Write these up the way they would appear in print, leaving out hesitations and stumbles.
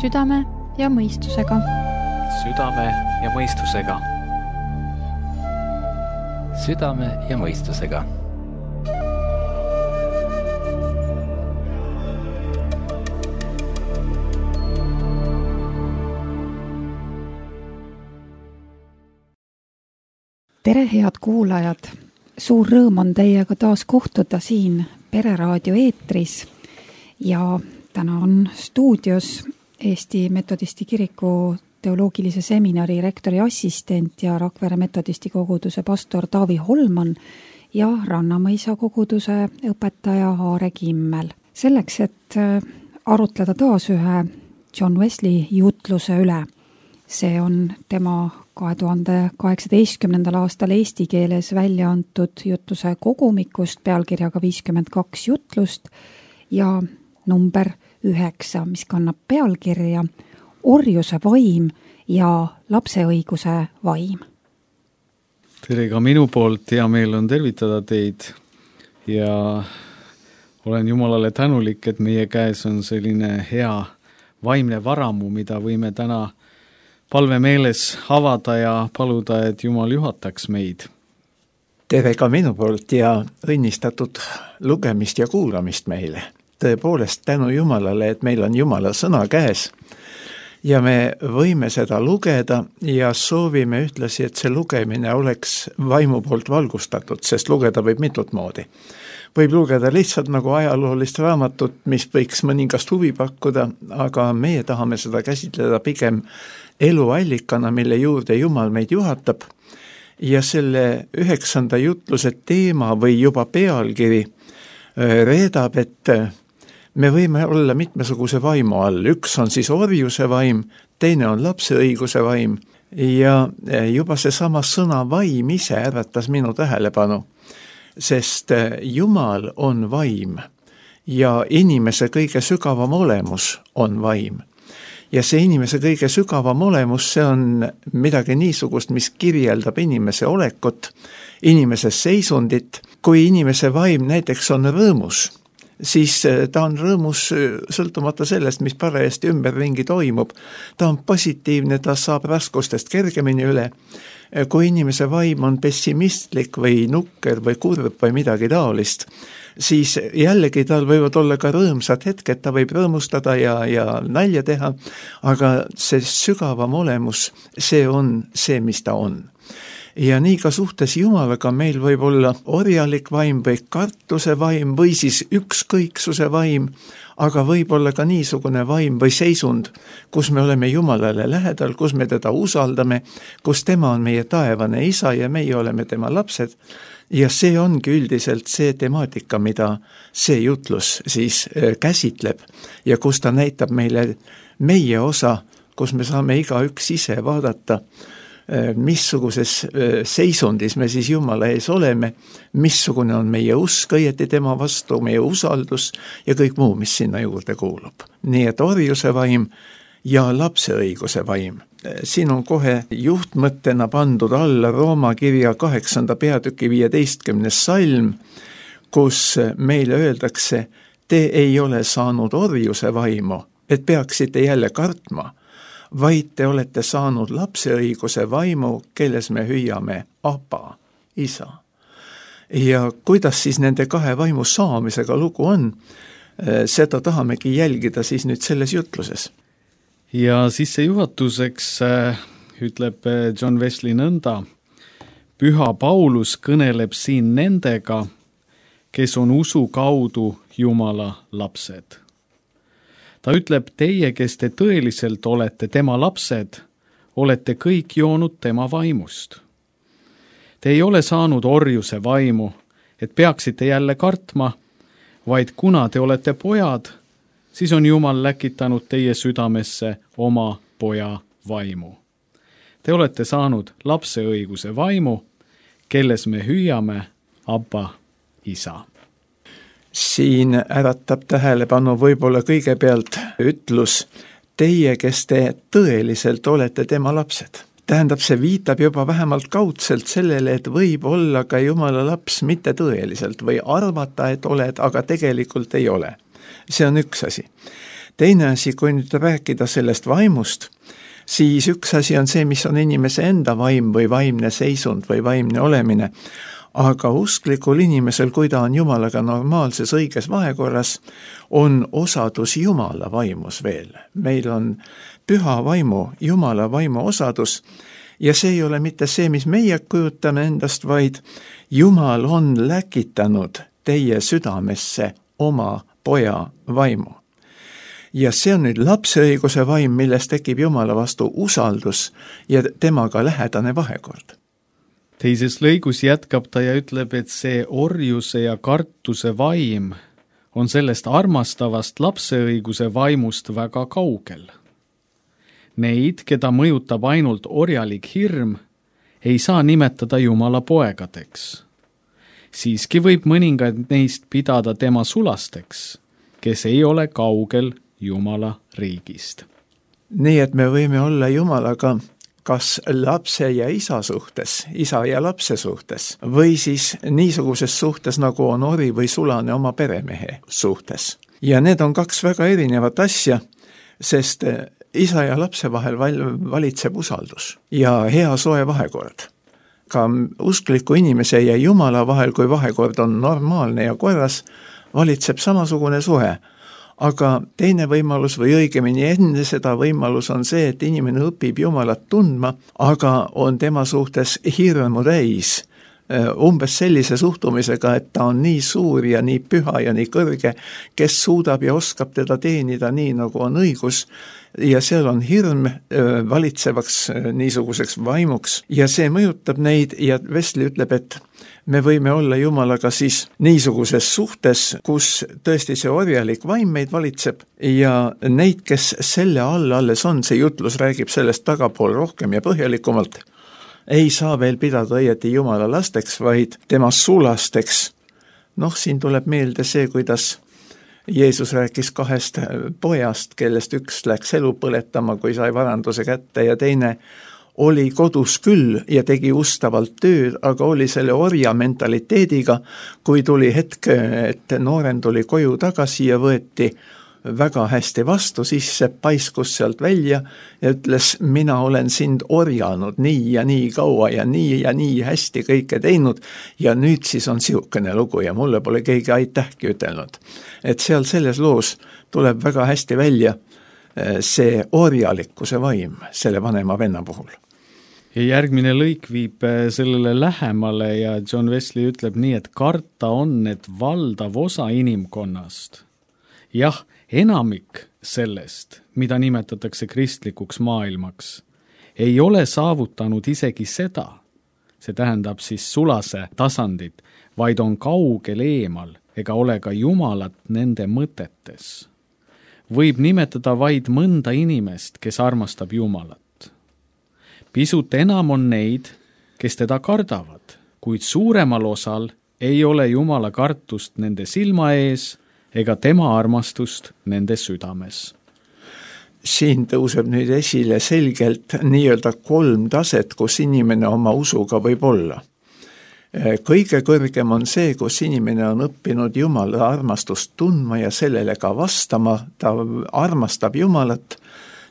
Südame ja mõistusega. Südame ja mõistusega. Südame ja mõistusega. Tere, head kuulajad! Suur rõõm on teiega taas kohtuda siin Pereraadio eetris ja täna on stuudios Eesti Metodisti Kiriku teoloogilise seminari rektori assistent ja Rakvere Metodisti koguduse pastor Taavi Holman ja Rannamõisa koguduse õpetaja Aare Kimmel. Selleks, et arutleda taas ühe John Wesley jutluse üle. See on tema 2018. aastal eesti keeles välja antud jutluse kogumikust pealkirjaga 52 jutlust ja number 9, mis kannab pealkirja Orjuse vaim ja lapseõiguse vaim. Tere ka minu poolt, hea meel on tervitada teid ja olen Jumalale tänulik, et meie käes on selline hea vaimne varamu, mida võime täna palvemeeles avada ja paluda, et Jumal juhataks meid. Tere ka minu poolt ja õnnistatud lugemist ja kuulamist meile. Tõepoolest tänu Jumalale, et meil on Jumala sõna käes ja me võime seda lugeda ja soovime ühtlasi, et see lugemine oleks vaimu poolt valgustatud, sest lugeda võib mitut moodi. Võib lugeda lihtsalt nagu ajaloolist raamatut, mis võiks mõningast huvi pakkuda, aga meie tahame seda käsitleda pigem eluallikana, mille juurde Jumal meid juhatab ja selle 9. jutluse teema või juba pealkiri reedab, et me võime olla mitmesuguse vaimu all. Üks on siis orjuse vaim, teine on lapseõiguse vaim ja juba seesama sõna vaim ise ärvatas minu tähelepanu, sest Jumal on vaim ja inimese kõige sügavam olemus on vaim. Ja see inimese kõige sügavam olemus, see on midagi niisugust, mis kirjeldab inimese olekut, inimese seisundit. Kui inimese vaim näiteks on rõõmus, siis ta on rõõmus sõltumata sellest, mis parajasti ümberringi toimub. Ta on positiivne, ta saab raskustest kergemini üle. Kui inimese vaim on pessimistlik või nukker või kurb või midagi taolist, siis jällegi tal võivad olla ka rõõmsad hetked, ta võib rõõmustada ja nalja teha, aga see sügavam olemus, see on see, mis ta on. Ja nii ka suhtes Jumalaga meil võib olla orjalik vaim või kartuse vaim või siis ükskõiksuse vaim, aga võib olla ka niisugune vaim või seisund, kus me oleme Jumalale lähedal, kus me teda usaldame, kus tema on meie taevane isa ja meie oleme tema lapsed. Ja see ongi üldiselt see temaatika, mida see jutlus siis käsitleb ja kus ta näitab meile meie osa, kus me saame igaüks ise vaadata, missuguses seisundis me siis Jumala ees oleme, missugune on meie usk õieti tema vastu, meie usaldus ja kõik muu, mis sinna juurde kuulub. Nii et orjuse vaim ja lapseõiguse vaim. Siin on kohe juhtmõttena pandud alla Rooma kirja 8. peatüki 15. salm, kus meile öeldakse, te ei ole saanud orjuse vaimu, et peaksite jälle kartma, vaid te olete saanud lapseõiguse vaimu, kelles me hüüame Abba, isa. Ja kuidas siis nende kahe vaimu saamisega lugu on, seda tahamegi jälgida siis nüüd selles jutluses. Ja sissejuhatuseks ütleb John Wesley nõnda, Püha Paulus kõneleb siin nendega, kes on usu kaudu Jumala lapsed. Ta ütleb, teie, kes te tõeliselt olete tema lapsed, olete kõik joonud tema vaimust. Te ei ole saanud orjuse vaimu, et peaksite jälle kartma, vaid kuna te olete pojad, siis on Jumal läkitanud teie südamesse oma poja vaimu. Te olete saanud lapseõiguse vaimu, kelles me hüüame Abba, isa. Siin äratab tähelepanu võib-olla kõigepealt ütlus, teie, kes te tõeliselt olete tema lapsed. Tähendab, see viitab juba vähemalt kaudselt sellele, et võib olla ka Jumala laps mitte tõeliselt või arvata, et oled, aga tegelikult ei ole. See on üks asi. teine asi, kui nüüd rääkida sellest vaimust, siis üks asi on see, mis on inimese enda vaim või vaimne seisund või vaimne olemine, aga usklikul inimesel, kui ta on Jumalaga normaalses õiges vahekorras, on osadus Jumala vaimus veel. Meil on püha vaimu, Jumala vaimu osadus ja see ei ole mitte see, mis meie kujutame endast, vaid Jumal on läkitanud teie südamesse oma poja vaimu. Ja see on nüüd lapse õiguse vaim, millest tekib Jumala vastu usaldus ja temaga lähedane vahekord. Teises lõigus jätkab ta ja ütleb, et see orjuse ja kartuse vaim on sellest armastavast lapseõiguse vaimust väga kaugel. Neid, keda mõjutab ainult orjalik hirm, ei saa nimetada Jumala poegadeks. Siiski võib mõningaid neist pidada tema sulasteks, kes ei ole kaugel Jumala riigist. Nii et me võime olla Jumalaga kas lapse ja isa suhtes, isa ja lapse suhtes, või siis niisuguses suhtes, nagu on ori või sulane oma peremehe suhtes. Ja need on kaks väga erinevat asja, sest isa ja lapse vahel valitseb usaldus ja hea soe vahekord. Ka uskliku inimese ja Jumala vahel, kui vahekord on normaalne ja korras, valitseb samasugune suhe. Aga teine võimalus või õigemini enne seda võimalus on see, et inimene õpib Jumalat tundma, aga on tema suhtes hirmu täis. Umbes sellise suhtumisega, et ta on nii suur ja nii püha ja nii kõrge, kes suudab ja oskab teda teenida nii, nagu on õigus. Ja seal on hirm valitsevaks niisuguseks vaimuks ja see mõjutab neid ja Wesley ütleb, et me võime olla Jumalaga siis niisuguses suhtes, kus tõesti see orjalik vaim meid valitseb ja neid, kes selle alles on, see jutlus räägib sellest tagapool rohkem ja põhjalikumalt, ei saa veel pidada õieti Jumala lasteks, vaid tema sulasteks. Siin tuleb meelde see, kuidas Jeesus rääkis kahest pojast, kellest üks läks elu põletama, kui sai varanduse kätte ja teine oli kodus küll ja tegi ustavalt tööd, aga oli selle orja mentaliteediga, kui tuli hetk, et noorem tuli koju tagasi ja võeti väga hästi vastu, siis see paiskus sealt välja ja ütles, mina olen sind orjanud nii ja nii kaua ja nii hästi kõike teinud ja nüüd siis on siukene lugu ja mulle pole keegi aitähki ütelnud. Et seal selles loos tuleb väga hästi välja see orjalikkuse vaim selle vanema venna puhul. Ja järgmine lõik viib sellele lähemale ja John Wesley ütleb nii, et karta on, et valdav osa inimkonnast. Jah, enamik sellest, mida nimetatakse kristlikuks maailmaks, ei ole saavutanud isegi seda, see tähendab siis sulase tasandit, vaid on kaugel eemal ega ole ka Jumalat nende mõtetes. Võib nimetada vaid mõnda inimest, kes armastab Jumalat. Pisut enam on neid, kes teda kardavad, kuid suuremal osal ei ole Jumala kartust nende silma ees ega tema armastust nende südames. Siin tõuseb nüüd esile selgelt nii-öelda 3 taset, kus inimene oma usuga võib olla. Kõige kõrgem on see, kus inimene on õppinud Jumala armastust tundma ja sellele ka vastama, ta armastab Jumalat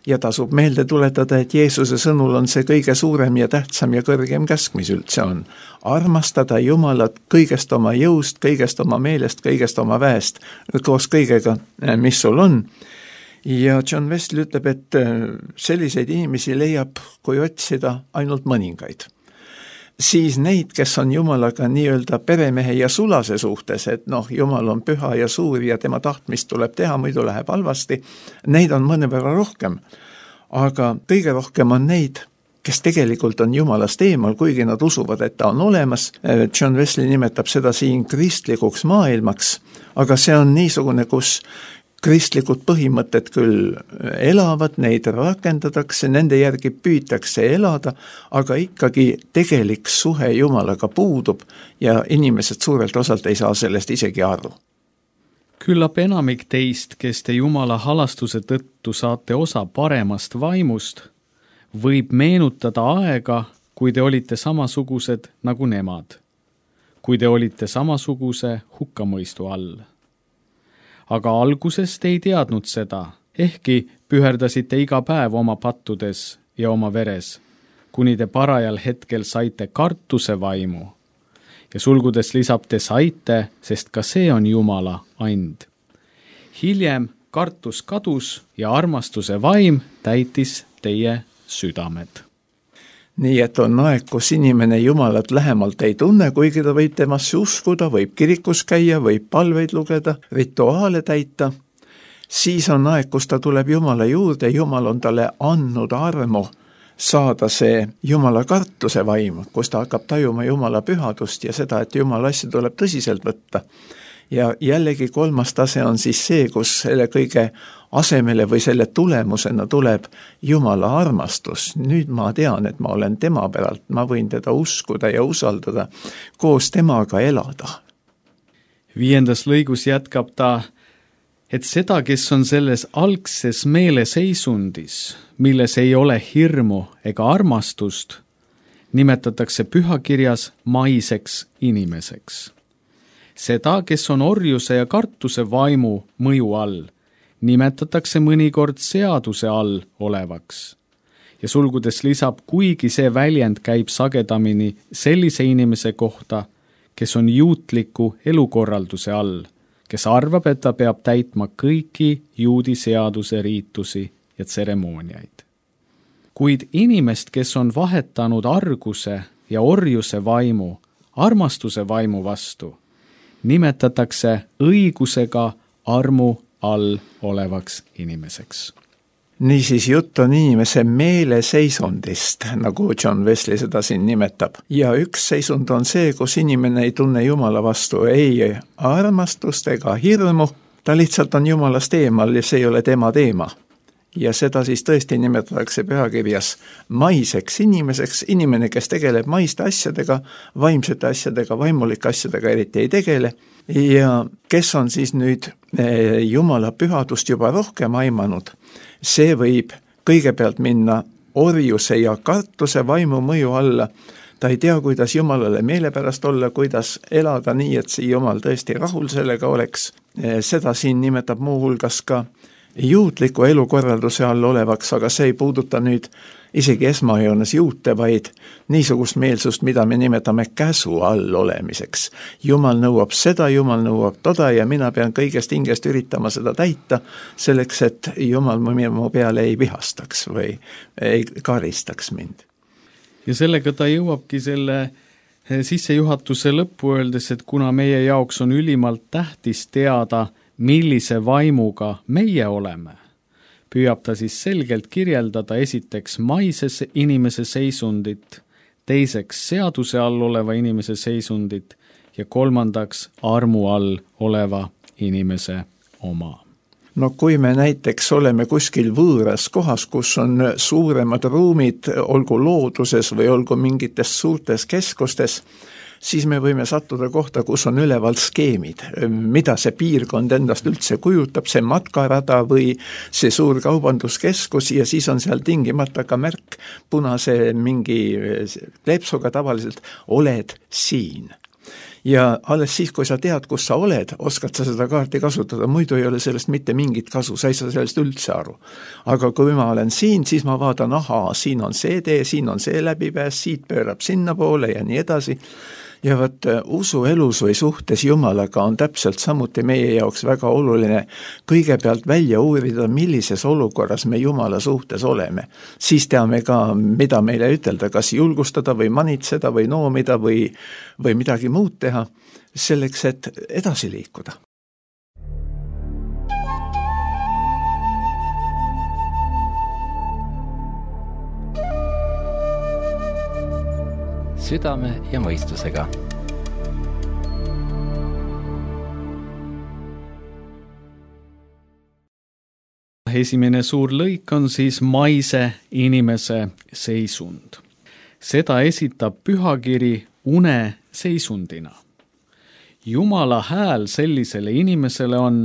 ja tasub meelde tuletada, et Jeesuse sõnul on see kõige suurem ja tähtsam ja kõrgem käsk, mis üldse on. Armastada Jumalat kõigest oma jõust, kõigest oma meelest, kõigest oma väest, koos kõigega, mis sul on. Ja John Wesley ütleb, et selliseid inimesi leiab, kui otsida ainult mõningaid. Siis neid, kes on Jumalaga nii-öelda peremehe ja sulase suhtes, et Jumal on püha ja suur ja tema tahtmist tuleb teha, muidu läheb halvasti, neid on mõnevõrra rohkem. Aga kõige rohkem on neid, kes tegelikult on Jumalast eemal, kuigi nad usuvad, et ta on olemas. John Wesley nimetab seda siin kristlikuks maailmaks, aga see on niisugune, kus kristlikud põhimõtted küll elavad, neid rakendatakse, nende järgi püütakse elada, aga ikkagi tegelik suhe Jumalaga puudub ja inimesed suurelt osalt ei saa sellest isegi aru. Küllap enamik teist, kes te Jumala halastuse tõttu saate osa paremast vaimust, võib meenutada aega, kui te olite samasugused nagu nemad, kui te olite samasuguse hukkamõistu all. Aga alguses te ei teadnud seda, ehkki püherdasite iga päev oma pattudes ja oma veres, kuni te parajal hetkel saite kartuse vaimu. Ja sulgudes lisab te saite, sest ka see on Jumala and. Hiljem kartus kadus ja armastuse vaim täitis teie südamed. Nii et on aeg, kus inimene Jumalat lähemalt ei tunne, kuigi ta võib temasse uskuda, võib kirikus käia, võib palveid lugeda, rituaale täita. Siis on aeg, kus ta tuleb Jumala juurde, Jumal on talle andnud armu saada see Jumala kartuse vaim, kus ta hakkab tajuma Jumala pühadust ja seda, et Jumala asja tuleb tõsiselt võtta. Ja jällegi kolmas tase on siis see, kus selle kõige asemele või selle tulemusena tuleb Jumala armastus. Nüüd ma tean, et ma olen tema päralt, ma võin teda uskuda ja usaldada, koos temaga elada. 5. lõigus jätkab ta, et seda, kes on selles algses meeleseisundis, milles ei ole hirmu ega armastust, nimetatakse pühakirjas maiseks inimeseks. Seda, kes on orjuse ja kartuse vaimu mõju all, nimetatakse mõnikord seaduse all olevaks. Ja sulgudes lisab, kuigi see väljend käib sagedamini sellise inimese kohta, kes on juutliku elukorralduse all, kes arvab, et ta peab täitma kõiki juudi seaduse riitusi ja tseremooniaid. Kuid inimest, kes on vahetanud arguse ja orjuse vaimu, armastuse vaimu vastu, nimetatakse õigusega armu all olevaks inimeseks. Niisiis jutt on inimese meeleseisundist, nagu John Wesley seda siin nimetab. Ja üks seisund on see, kus inimene ei tunne Jumala vastu ei armastust ega hirmu, ta lihtsalt on Jumalast eemal ja see ei ole tema teema. Ja seda siis tõesti nimetatakse pühakirjas maiseks inimeseks, inimene, kes tegeleb maiste asjadega, vaimsete asjadega, vaimulike asjadega eriti ei tegele, ja kes on siis nüüd Jumala pühadust juba rohkem aimanud, see võib kõigepealt minna orjuse ja kartuse vaimu mõju alla. Ta ei tea, kuidas Jumalale meelepärast olla, kuidas elada nii, et see Jumal tõesti rahul sellega oleks. Seda siin nimetab muu hulgas ka juutliku elukorralduse all olevaks, aga see ei puuduta nüüd isegi esmajoones juute, vaid niisugust meelsust, mida me nimetame käsu all olemiseks. Jumal nõuab seda, Jumal nõuab toda ja mina pean kõigest hingest üritama seda täita selleks, et Jumal mu peale ei vihastaks või ei karistaks mind. Ja sellega ta jõuabki selle sissejuhatuse lõppu öeldes, et kuna meie jaoks on ülimalt tähtis teada, millise vaimuga meie oleme, püüab ta siis selgelt kirjeldada esiteks maises inimese seisundit, teiseks seaduse all oleva inimese seisundit ja kolmandaks armu all oleva inimese oma. No kui me näiteks oleme kuskil võõras kohas, kus on suuremad ruumid, olgu looduses või olgu mingites suurtes keskustes, siis me võime sattuda kohta, kus on üleval skeemid, mida see piirkond endast üldse kujutab, see matkarada või see suur kaubanduskeskus ja siis on seal tingimata ka märk punase mingi kleepsuga tavaliselt, oled siin. Ja alles siis, kui sa tead, kus sa oled, oskad sa seda kaarti kasutada, muidu ei ole sellest mitte mingit kasu, sa ei saa sellest üldse aru. Aga kui ma olen siin, siis ma vaatan, siin on see tee, siin on see läbipääs, siit pöörab sinna poole ja nii edasi. Ja võt, usuelus või suhtes Jumalaga on täpselt samuti meie jaoks väga oluline kõigepealt välja uurida, millises olukorras me Jumala suhtes oleme. Siis teame ka, mida meile ütelda, kas julgustada või manitseda või noomida või midagi muud teha, selleks, et edasi liikuda. Südame ja mõistusega. Esimene suur lõik on siis maise inimese seisund. Seda esitab pühakiri une seisundina. Jumala hääl sellisele inimesele on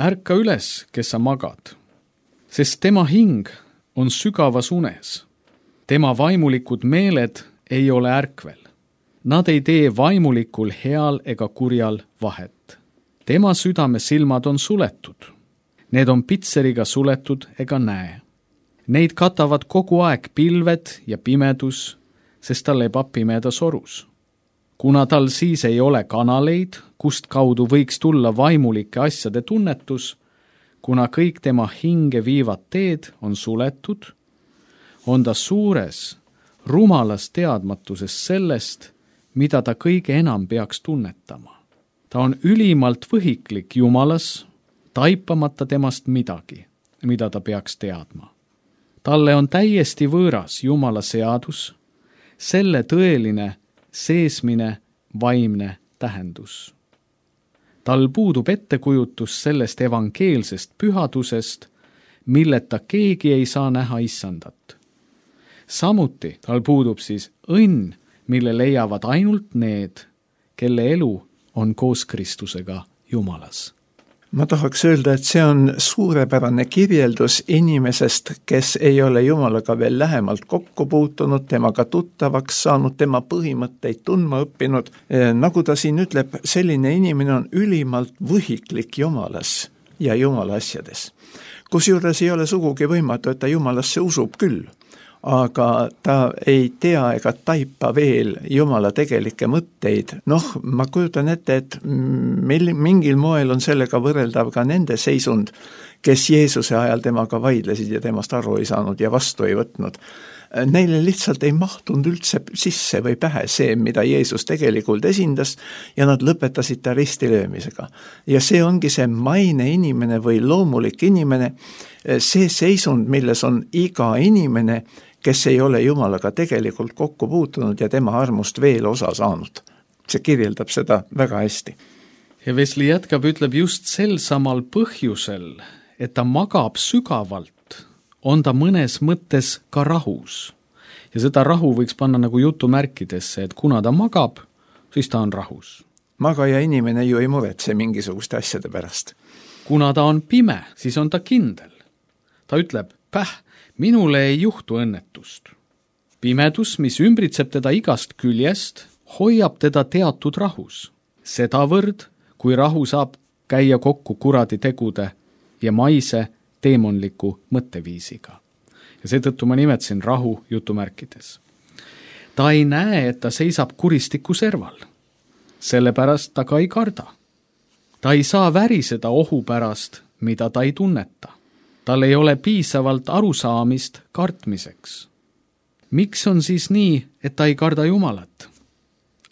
ärka üles, kes sa magad, sest tema hing on sügavas unes. Tema vaimulikud meeled ei ole ärkvel. Nad ei tee vaimulikul heal ega kurjal vahet. Tema südame silmad on suletud. Need on pitseriga suletud ega näe. Neid katavad kogu aeg pilved ja pimedus, sest ta lebab pimedas orus. Kuna tal siis ei ole kanaleid, kust kaudu võiks tulla vaimulike asjade tunnetus, kuna kõik tema hinge viivad teed on suletud, on ta suures, rumalas teadmatuses sellest, mida ta kõige enam peaks tunnetama. Ta on ülimalt võhiklik Jumalas, taipamata temast midagi, mida ta peaks teadma. Talle on täiesti võõras Jumala seadus, selle tõeline seesmine vaimne tähendus. Tal puudub ettekujutus sellest evangeelsest pühadusest, milleta keegi ei saa näha issandat. Samuti tal puudub siis õnn, mille leiavad ainult need, kelle elu on koos Kristusega Jumalas. Ma tahaks öelda, et see on suurepärane kirjeldus inimesest, kes ei ole Jumalaga veel lähemalt kokku puutunud, temaga tuttavaks saanud, tema põhimõtteid tundma õppinud. Nagu ta siin ütleb, selline inimene on ülimalt võhiklik Jumalas ja Jumala asjades. Kusjuures ei ole sugugi võimatu, et ta Jumalasse usub küll, aga ta ei tea ega taipa veel Jumala tegelikke mõtteid. Ma kujutan ette, et mingil moel on sellega võrreldav ka nende seisund, kes Jeesuse ajal temaga vaidlesid ja temast aru ei saanud ja vastu ei võtnud. Neile lihtsalt ei mahtunud üldse sisse või pähe see, mida Jeesus tegelikult esindas, ja nad lõpetasid ta ristilöömisega. Ja see ongi see maine inimene või loomulik inimene, see seisund, milles on iga inimene, kes ei ole Jumalaga tegelikult kokku puutunud ja tema armust veel osa saanud. See kirjeldab seda väga hästi. Ja Wesley jätkab, ütleb just sel samal põhjusel, et ta magab sügavalt, on ta mõnes mõttes ka rahus. Ja seda rahu võiks panna nagu jutumärkidesse, et kuna ta magab, siis ta on rahus. Magaja inimene ju ei muretse mingisuguste asjade pärast. Kuna ta on pime, siis on ta kindel. Ta ütleb, minule ei juhtu õnnetust. Pimedus, mis ümbritseb teda igast küljest, hoiab teda teatud rahus. Sedavõrd, kui rahu saab käia kokku kuradi tegude ja maise teemonliku mõtteviisiga. Ja seetõttu ma nimetasin rahu jutumärkides. Ta ei näe, et ta seisab kuristiku serval. Sellepärast ta ka ei karda. Ta ei saa väriseda ohu pärast, mida ta ei tunneta. Tal ei ole piisavalt arusaamist kartmiseks. Miks on siis nii, et ta ei karda Jumalat?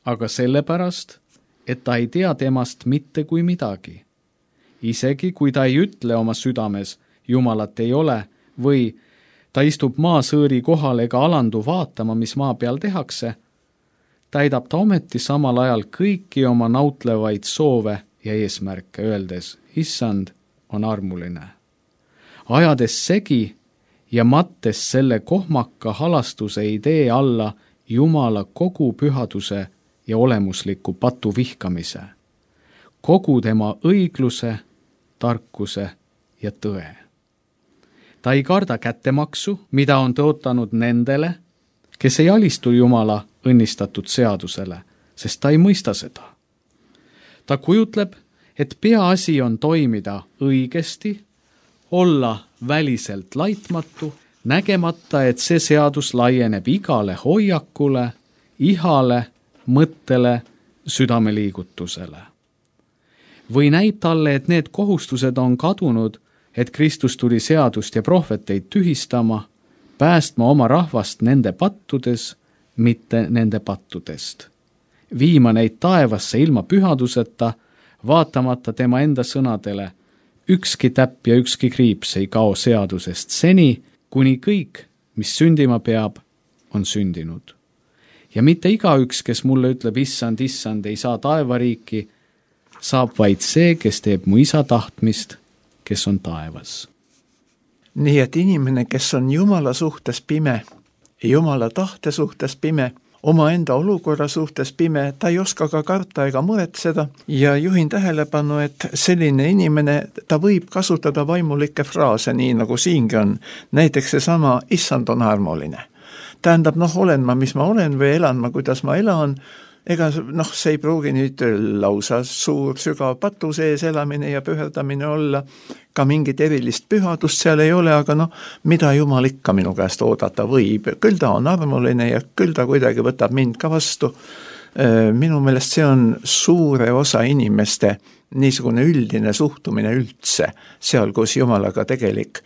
Aga sellepärast, et ta ei tea temast mitte kui midagi. Isegi kui ta ei ütle oma südames, Jumalat ei ole, või ta istub maasõõri kohal ega alandu vaatama, mis maa peal tehakse, täidab ta ometi samal ajal kõiki oma nautlevaid soove ja eesmärke, öeldes, issand on armuline. Ajades segi ja mattes selle kohmaka halastuse idee alla Jumala kogu pühaduse ja olemusliku patu vihkamise, kogu tema õigluse, tarkuse ja tõe. Ta ei karda kättemaksu, mida on tõotanud nendele, kes ei alistu Jumala õnnistatud seadusele, sest ta ei mõista seda. Ta kujutleb, et peaasi on toimida õigesti, olla väliselt laitmatu, nägemata, et see seadus laieneb igale hoiakule, ihale, mõttele, südameliigutusele. Või näib talle, et need kohustused on kadunud, et Kristus tuli seadust ja prohveteid tühistama, päästma oma rahvast nende pattudes, mitte nende pattudest. Viima neid taevasse ilma pühaduseta, vaatamata tema enda sõnadele, ükski täpp ja ükski kriips ei kao seadusest seni, kuni kõik, mis sündima peab, on sündinud. Ja mitte igaüks, kes mulle ütleb, issand, issand, ei saa taevariiki, saab vaid see, kes teeb mu isa tahtmist, kes on taevas. Nii et inimene, kes on Jumala suhtes pime, Jumala tahte suhtes pime, omaenda olukorra suhtes pime, ta ei oska ka karta ega muretseda ja juhin tähelepanu, et selline inimene, ta võib kasutada vaimulikke fraase, nii nagu siingi on. Näiteks seesama issand on armuline. Tähendab, olen ma, mis ma olen või elan ma, kuidas ma elan, ega see ei pruugi nüüd lausa suur sügav patu sees elamine ja püherdamine olla, ka mingit erilist pühadust seal ei ole, aga mida Jumal ikka minu käest oodata võib, küll ta on armuline ja küll ta kuidagi võtab mind ka vastu. Minu meelest see on suure osa inimeste niisugune üldine suhtumine üldse, seal kus Jumalaga tegelik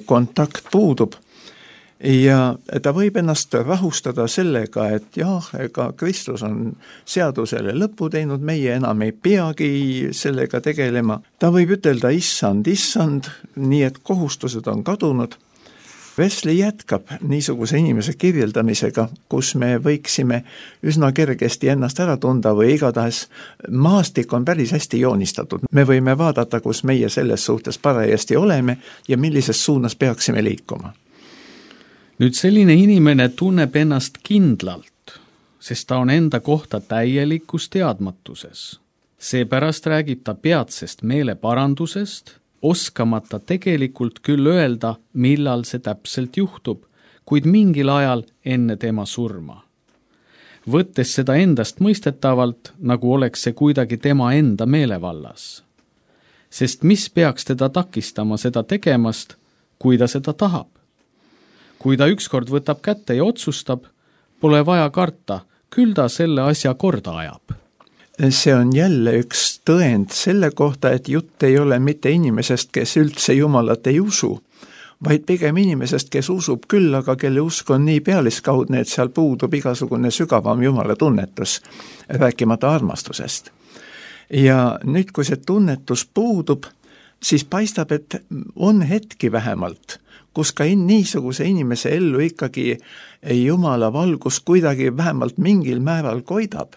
kontakt puudub. Ja ta võib ennast rahustada sellega, et ega Kristus on seadusele lõpu teinud, meie enam ei peagi sellega tegelema. Ta võib ütelda issand, nii et kohustused on kadunud. Wesley jätkab niisuguse inimese kirjeldamisega, kus me võiksime üsna kergesti ennast ära tunda või igatahes maastik on päris hästi joonistatud. Me võime vaadata, kus meie selles suhtes parajasti oleme ja millises suunas peaksime liikuma. Nüüd selline inimene tunneb ennast kindlalt, sest ta on enda kohta täielikus teadmatuses. Seepärast räägib ta peatsest meeleparandusest, oskamata tegelikult küll öelda, millal see täpselt juhtub, kuid mingil ajal enne tema surma. Võttes seda endast mõistetavalt, nagu oleks see kuidagi tema enda meelevallas. Sest mis peaks teda takistama seda tegemast, kui ta seda tahab? Kui ta ükskord võtab kätte ja otsustab, pole vaja karta, küll ta selle asja korda ajab. See on jälle üks tõend selle kohta, et jutt ei ole mitte inimesest, kes üldse Jumalat ei usu, vaid pigem inimesest, kes usub küll, aga kelle usk on nii pealiskaudne, et seal puudub igasugune sügavam Jumala tunnetus, rääkimata armastusest. Ja nüüd, kui see tunnetus puudub, siis paistab, et on hetki vähemalt, kus ka niisuguse inimese ellu ikkagi Jumala valgus kuidagi vähemalt mingil määral koidab.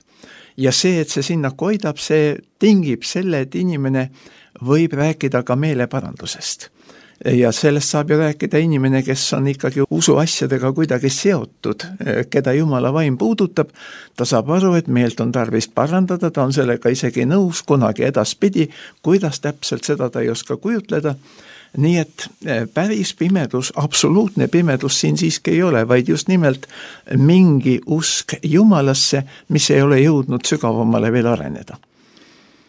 Ja see, et see sinna koidab, see tingib selle, et inimene võib rääkida ka meeleparandusest. Ja sellest saab ju rääkida inimene, kes on ikkagi usuasjadega kuidagi seotud, keda Jumala vaim puudutab. Ta saab aru, et meelt on tarvis parandada, ta on sellega isegi nõus kunagi edaspidi, kuidas täpselt seda ta ei oska kujutleda. Nii et päris pimedus, absoluutne pimedus siin siiski ei ole, vaid just nimelt mingi usk Jumalasse, mis ei ole jõudnud sügavamale veel areneda.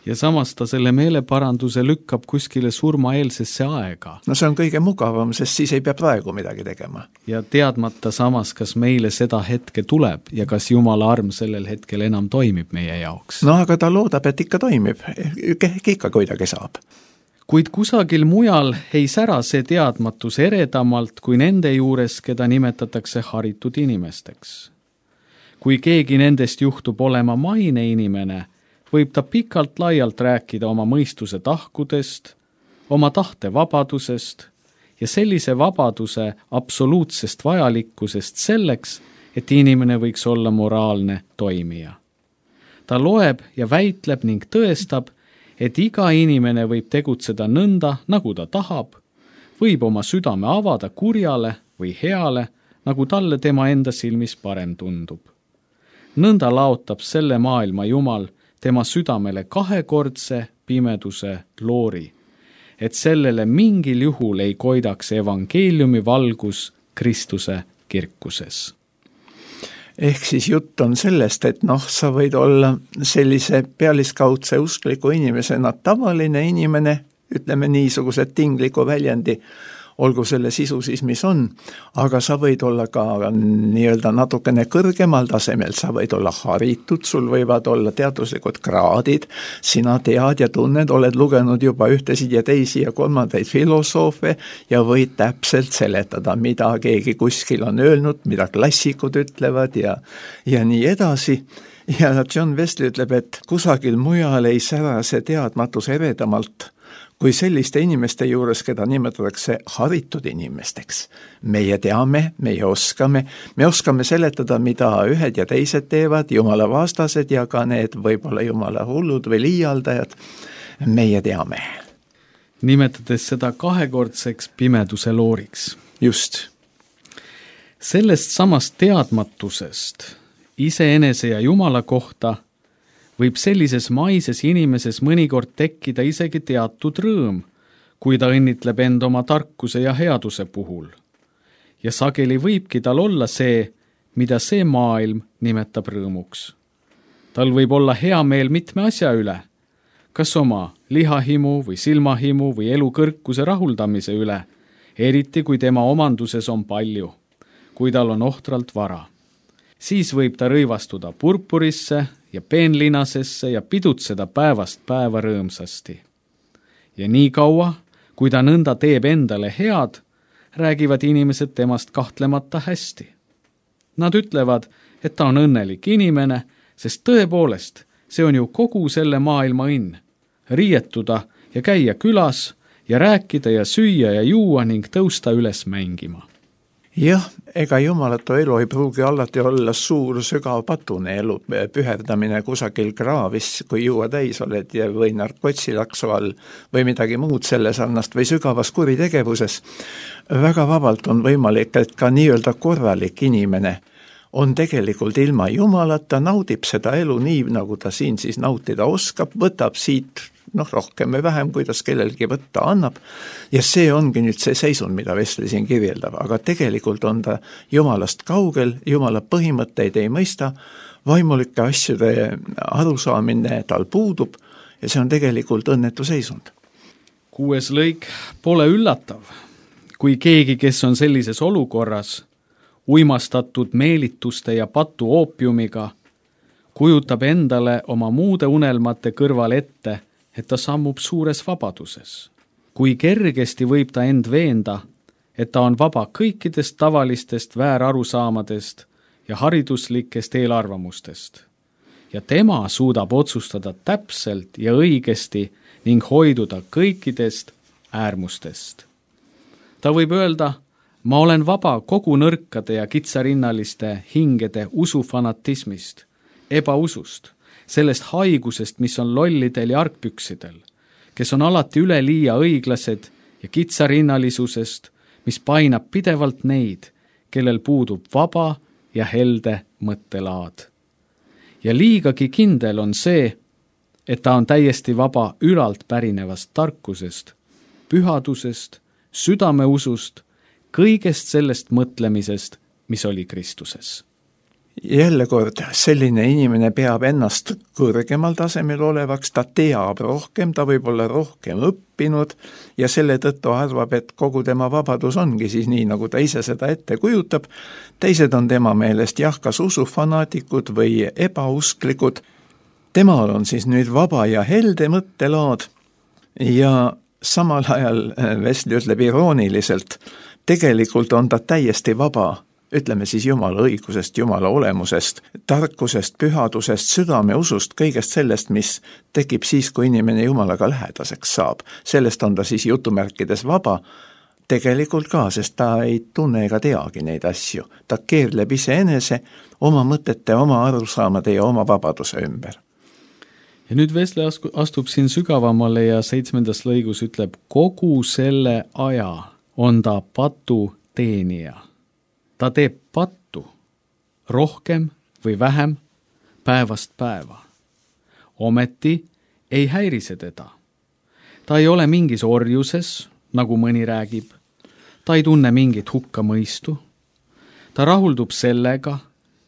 Ja samas ta selle meeleparanduse lükkab kuskile surmaeelsesse aega. See on kõige mugavam, sest siis ei pea praegu midagi tegema. Ja teadmata samas, kas meile seda hetke tuleb ja kas Jumala arm sellel hetkel enam toimib meie jaoks. Aga ta loodab, et ikka toimib, ikka kuidagi saab. Kuid kusagil mujal ei sära see teadmatus eredamalt kui nende juures, keda nimetatakse haritud inimesteks. Kui keegi nendest juhtub olema maine inimene, võib ta pikalt laialt rääkida oma mõistuse tahkudest, oma tahte vabadusest ja sellise vabaduse absoluutsest vajalikkusest selleks, et inimene võiks olla moraalne toimija. Ta loeb ja väitleb ning tõestab, et iga inimene võib tegutseda nõnda, nagu ta tahab, võib oma südame avada kurjale või heale, nagu talle tema enda silmis parem tundub. Nõnda laotab selle maailma Jumal tema südamele kahekordse pimeduse loori, et sellele mingil juhul ei koidaks evangeeliumi valgus Kristuse kirkuses. Ehk siis jutt on sellest, et sa võid olla sellise pealiskaudse uskliku inimesena tavaline inimene, ütleme niisuguse tingliku väljendi, olgu selle sisu siis mis on, aga sa võid olla ka nii-öelda natukene kõrgemal tasemel, sa võid olla haritud, sul võivad olla teaduslikud kraadid, sina tead ja tunned, oled lugenud juba ühtesid ja teisi ja kolmandaid filosoofe ja võid täpselt seletada, mida keegi kuskil on öelnud, mida klassikud ütlevad ja nii edasi. Ja John Wesley ütleb, et kusagil mujal ei sära see teadmatus eredamalt kui selliste inimeste juures, keda nimetatakse haritud inimesteks. Meie teame, meie oskame seletada, mida ühed ja teised teevad, Jumala vastased ja ka need võib-olla Jumala hullud või liialdajad. Meie teame. Nimetades seda kahekordseks pimeduse looriks. Just. Sellest samast teadmatusest iseenese ja Jumala kohta võib sellises maises inimeses mõnikord tekkida isegi teatud rõõm, kui ta õnnitleb end oma tarkuse ja headuse puhul. Ja sageli võibki tal olla see, mida see maailm nimetab rõõmuks. Tal võib olla hea meel mitme asja üle, kas oma lihahimu või silmahimu või elu kõrkuse rahuldamise üle, eriti kui tema omanduses on palju, kui tal on ohtralt vara. Siis võib ta rõivastuda purpurisse ja peenlinasesse ja pidutseda päevast päeva rõõmsasti. Ja nii kaua, kui ta nõnda teeb endale head, räägivad inimesed temast kahtlemata hästi. Nad ütlevad, et ta on õnnelik inimene, sest tõepoolest, see on ju kogu selle maailma õnn. Riietuda ja käia külas ja rääkida ja süüa ja juua ning tõusta üles mängima. Jah, ega jumalatu elu ei pruugi alati olla suur sügav patune elu, püherdamine kusagil kraavis, kui juua täis oled või narkotsilaksu all või midagi muud selle sarnast või sügavas kuritegevuses. Väga vabalt on võimalik, et ka nii-öelda korralik inimene on tegelikult ilma jumalata, naudib seda elu nii, nagu ta siin siis nautida oskab, võtab siit rohkem või vähem, kuidas kellelgi võtta annab, ja see ongi nüüd see seisund, mida Wesley siin kirjeldab, aga tegelikult on ta jumalast kaugel, jumala põhimõtteid ei mõista, vaimulike asjade arusaamine tal puudub ja see on tegelikult õnnetu seisund. 6. lõik pole üllatav, kui keegi, kes on sellises olukorras, uimastatud meelituste ja patu oopiumiga, kujutab endale oma muude unelmate kõrval ette, et ta sammub suures vabaduses. Kui kergesti võib ta end veenda, et ta on vaba kõikidest tavalistest väärarusaamadest ja hariduslikest eelarvamustest. Ja tema suudab otsustada täpselt ja õigesti ning hoiduda kõikidest äärmustest. Ta võib öelda, ma olen vaba kogu nõrkade ja kitsarinnaliste hingede usufanatismist, ebausust, sellest haigusest, mis on lollidel ja argpüksidel, kes on alati üleliia õiglased ja kitsarinnalisusest, mis painab pidevalt neid, kellel puudub vaba ja helde mõttelaad. Ja liigagi kindel on see, et ta on täiesti vaba ülalt pärinevast tarkusest, pühadusest, südameusust, kõigest sellest mõtlemisest, mis oli Kristuses. Jälle kord, selline inimene peab ennast kõrgemal tasemel olevaks, ta teab rohkem, ta võib olla rohkem õppinud ja selle tõttu arvab, et kogu tema vabadus ongi siis nii, nagu ta ise seda ette kujutab. Teised on tema meelest kas usufanaatikud või ebausklikud. Temal on siis nüüd vaba ja helde mõttelaad ja samal ajal Wesley ütleb irooniliselt, tegelikult on ta täiesti vaba, ütleme siis Jumala õigusest, Jumala olemusest, tarkusest, pühadusest, südameusust, kõigest sellest, mis tekib siis, kui inimene Jumalaga lähedaseks saab. Sellest on ta siis jutumärkides vaba, tegelikult ka, sest ta ei tunne ega teagi neid asju. Ta keerleb iseenese oma mõtete, oma arusaamade ja oma vabaduse ümber. Ja nüüd Wesley astub siin sügavamale ja 7. lõigus ütleb, kogu selle aja on ta patu teenija. Ta teeb pattu, rohkem või vähem, päevast päeva. Ometi ei häiri see teda. Ta ei ole mingis orjuses, nagu mõni räägib. Ta ei tunne mingit hukkamõistu. Ta rahuldub sellega,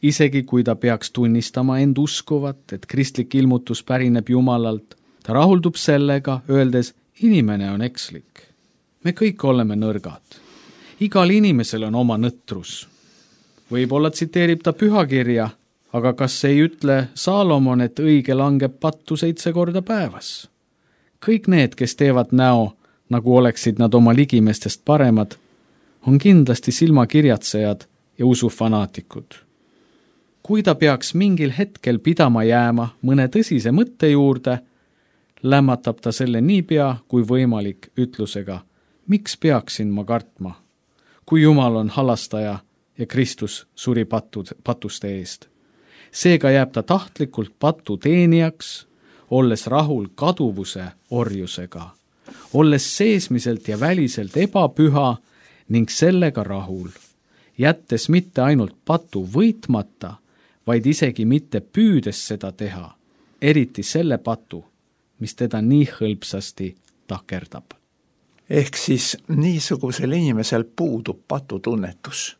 isegi kui ta peaks tunnistama end uskuvat, et kristlik ilmutus pärineb Jumalalt. Ta rahuldub sellega, öeldes, inimene on ekslik. Me kõik oleme nõrgad. Igal inimesel on oma nõtrus. Võib-olla tsiteerib ta pühakirja, aga kas ei ütle Saalomon, et õige langeb pattu 7 korda päevas? Kõik need, kes teevad näo, nagu oleksid nad oma ligimestest paremad, on kindlasti silmakirjatsejad ja usufanaatikud. Kui ta peaks mingil hetkel pidama jääma mõne tõsise mõtte juurde, lämmatab ta selle niipea kui võimalik ütlusega, miks peaksin ma kartma? Kui Jumal on halastaja ja Kristus suri patuste eest. Seega jääb ta tahtlikult patu teenijaks, olles rahul kaduvuse orjusega, olles seesmiselt ja väliselt ebapüha ning sellega rahul, jättes mitte ainult patu võitmata, vaid isegi mitte püüdes seda teha, eriti selle patu, mis teda nii hõlpsasti takerdab. Ehk siis niisugusel inimesel puudub patutunnetus.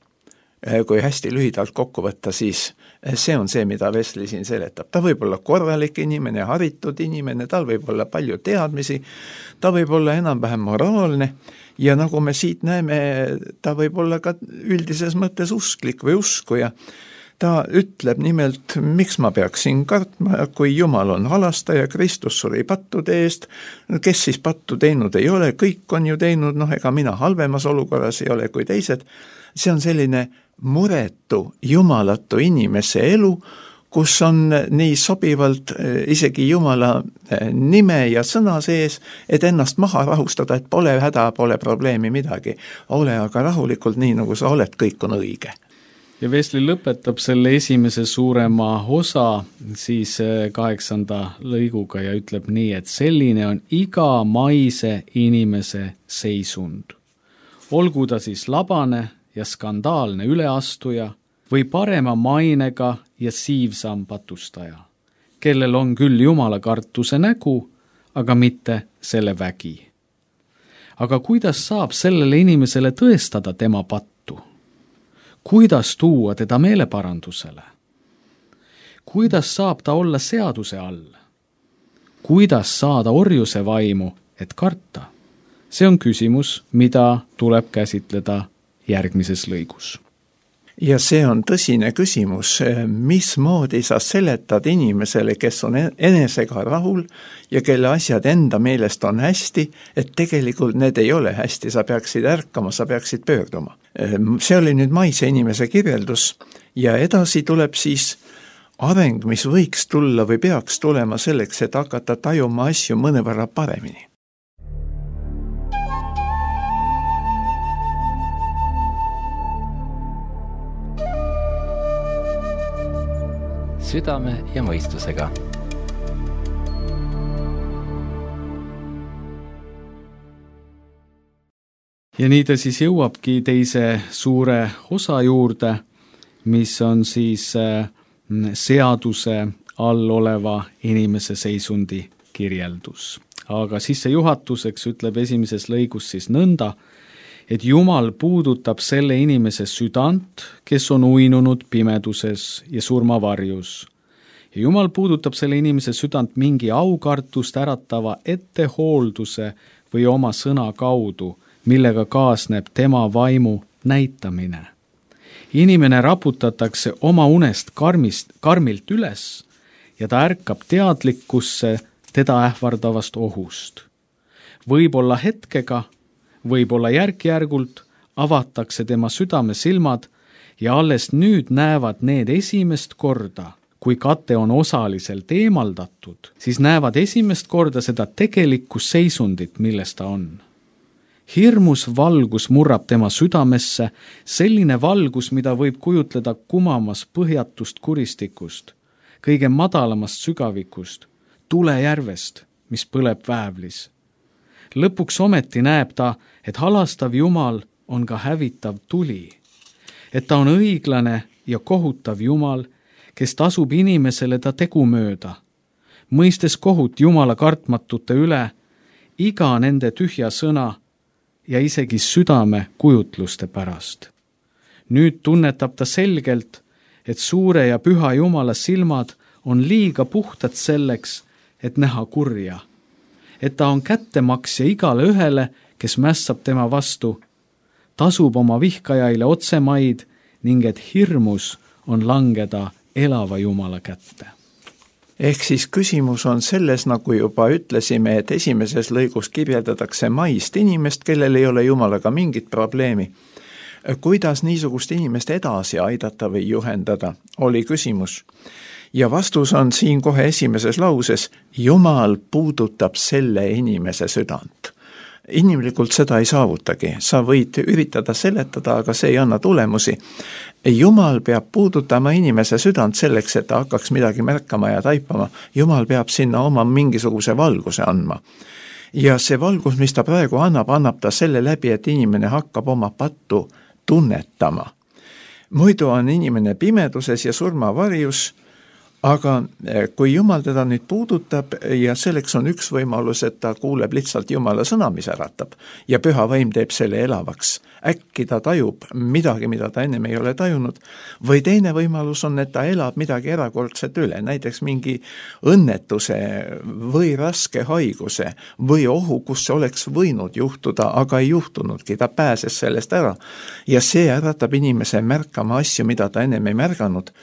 kui hästi lühidalt kokku võtta, siis see on see, mida Wesley siin seletab. Ta võib olla korralik inimene, haritud inimene, tal võib olla palju teadmisi, ta võib olla enam-vähem moraalne ja nagu me siit näeme, ta võib olla ka üldises mõttes usklik või uskuja. Ta ütleb nimelt, miks ma peaksin kartma, kui Jumal on halastaja, Kristus suri pattude eest, kes siis pattu teinud ei ole, kõik on ju teinud, ega mina halvemas olukorras ei ole kui teised. See on selline muretu, jumalatu inimese elu, kus on nii sobivalt isegi Jumala nime ja sõna sees, et ennast maha rahustada, et pole häda, pole probleemi midagi. Ole aga rahulikult nii, nagu sa oled, kõik on õige. Ja Wesley lõpetab selle esimese suurema osa siis 8. lõiguga ja ütleb nii, et selline on iga maise inimese seisund. Olgu ta siis labane ja skandaalne üleastuja või parema mainega ja siivsam patustaja, kellel on küll Jumala kartuse nägu, aga mitte selle vägi. Aga kuidas saab sellele inimesele tõestada tema pattu? Kuidas tuua teda meeleparandusele? Kuidas saab ta olla seaduse all? Kuidas saada orjuse vaimu, et karta? See on küsimus, mida tuleb käsitleda järgmises lõigus. Ja see on tõsine küsimus, mismoodi sa seletad inimesele, kes on enesega rahul ja kelle asjad enda meelest on hästi, et tegelikult need ei ole hästi, sa peaksid ärkama, sa peaksid pöörduma. See oli nüüd maise inimese kirjeldus ja edasi tuleb siis areng, mis võiks tulla või peaks tulema selleks, et hakata tajuma asju mõnevõrra paremini. Südame ja mõistusega. Ja nii ta siis jõuabki teise suure osa juurde, mis on siis seaduse all oleva inimese seisundi kirjeldus. Aga sissejuhatuseks ütleb esimeses lõigus siis nõnda, et Jumal puudutab selle inimese südant, kes on uinunud pimeduses ja surmavarjus. Ja Jumal puudutab selle inimese südant mingi aukartust äratava ettehoolduse või oma sõna kaudu, millega kaasneb tema vaimu näitamine. Inimene raputatakse oma unest karmilt üles ja ta ärkab teadlikkusse teda ähvardavast ohust. Võib-olla hetkega, võib-olla järk-järgult avatakse tema südame silmad ja alles nüüd näevad need esimest korda, kui kate on osaliselt eemaldatud, siis näevad esimest korda seda tegelikku seisundit, milles ta on. Hirmus valgus murrab tema südamesse, selline valgus, mida võib kujutleda kumamas põhjatust kuristikust, kõige madalamast sügavikust, tulejärvest, mis põleb väävlis. Lõpuks ometi näeb ta, et halastav Jumal on ka hävitav tuli, et ta on õiglane ja kohutav Jumal, kes tasub inimesele ta tegu mööda, mõistes kohut Jumala kartmatute üle, iga nende tühja sõna ja isegi südame kujutluste pärast. Nüüd tunnetab ta selgelt, et suure ja püha Jumala silmad on liiga puhtad selleks, et näha kurja, et ta on kättemaksja igale ühele, kes mässab tema vastu, tasub oma vihkajaile otsemaid ning et hirmus on langeda elava Jumala kätte. Ehk siis küsimus on selles, nagu juba ütlesime, et esimeses lõigus kirjeldatakse maist inimest, kellel ei ole Jumalaga mingit probleemi. Kuidas niisugust inimest edasi aidata või juhendada, oli küsimus. Ja vastus on siin kohe esimeses lauses, Jumal puudutab selle inimese südant. Inimlikult seda ei saavutagi, sa võid üritada seletada, aga see ei anna tulemusi. Jumal peab puudutama inimese südant selleks, et ta hakkaks midagi märkama ja taipama. Jumal peab sinna oma mingisuguse valguse andma. Ja see valgus, mis ta praegu annab ta selle läbi, et inimene hakkab oma pattu tunnetama. Muidu on inimene pimeduses ja surmavarjus, aga kui Jumal teda nüüd puudutab ja selleks on üks võimalus, et ta kuuleb lihtsalt Jumala sõna, mis äratab ja püha vaim teeb selle elavaks. Äkki ta tajub midagi, mida ta ennem ei ole tajunud, või teine võimalus on, et ta elab midagi erakordset üle, näiteks mingi õnnetuse või raske haiguse või ohu, kus see oleks võinud juhtuda, aga ei juhtunudki, ta pääses sellest ära ja see äratab inimese märkama asju, mida ta ennem ei märganud.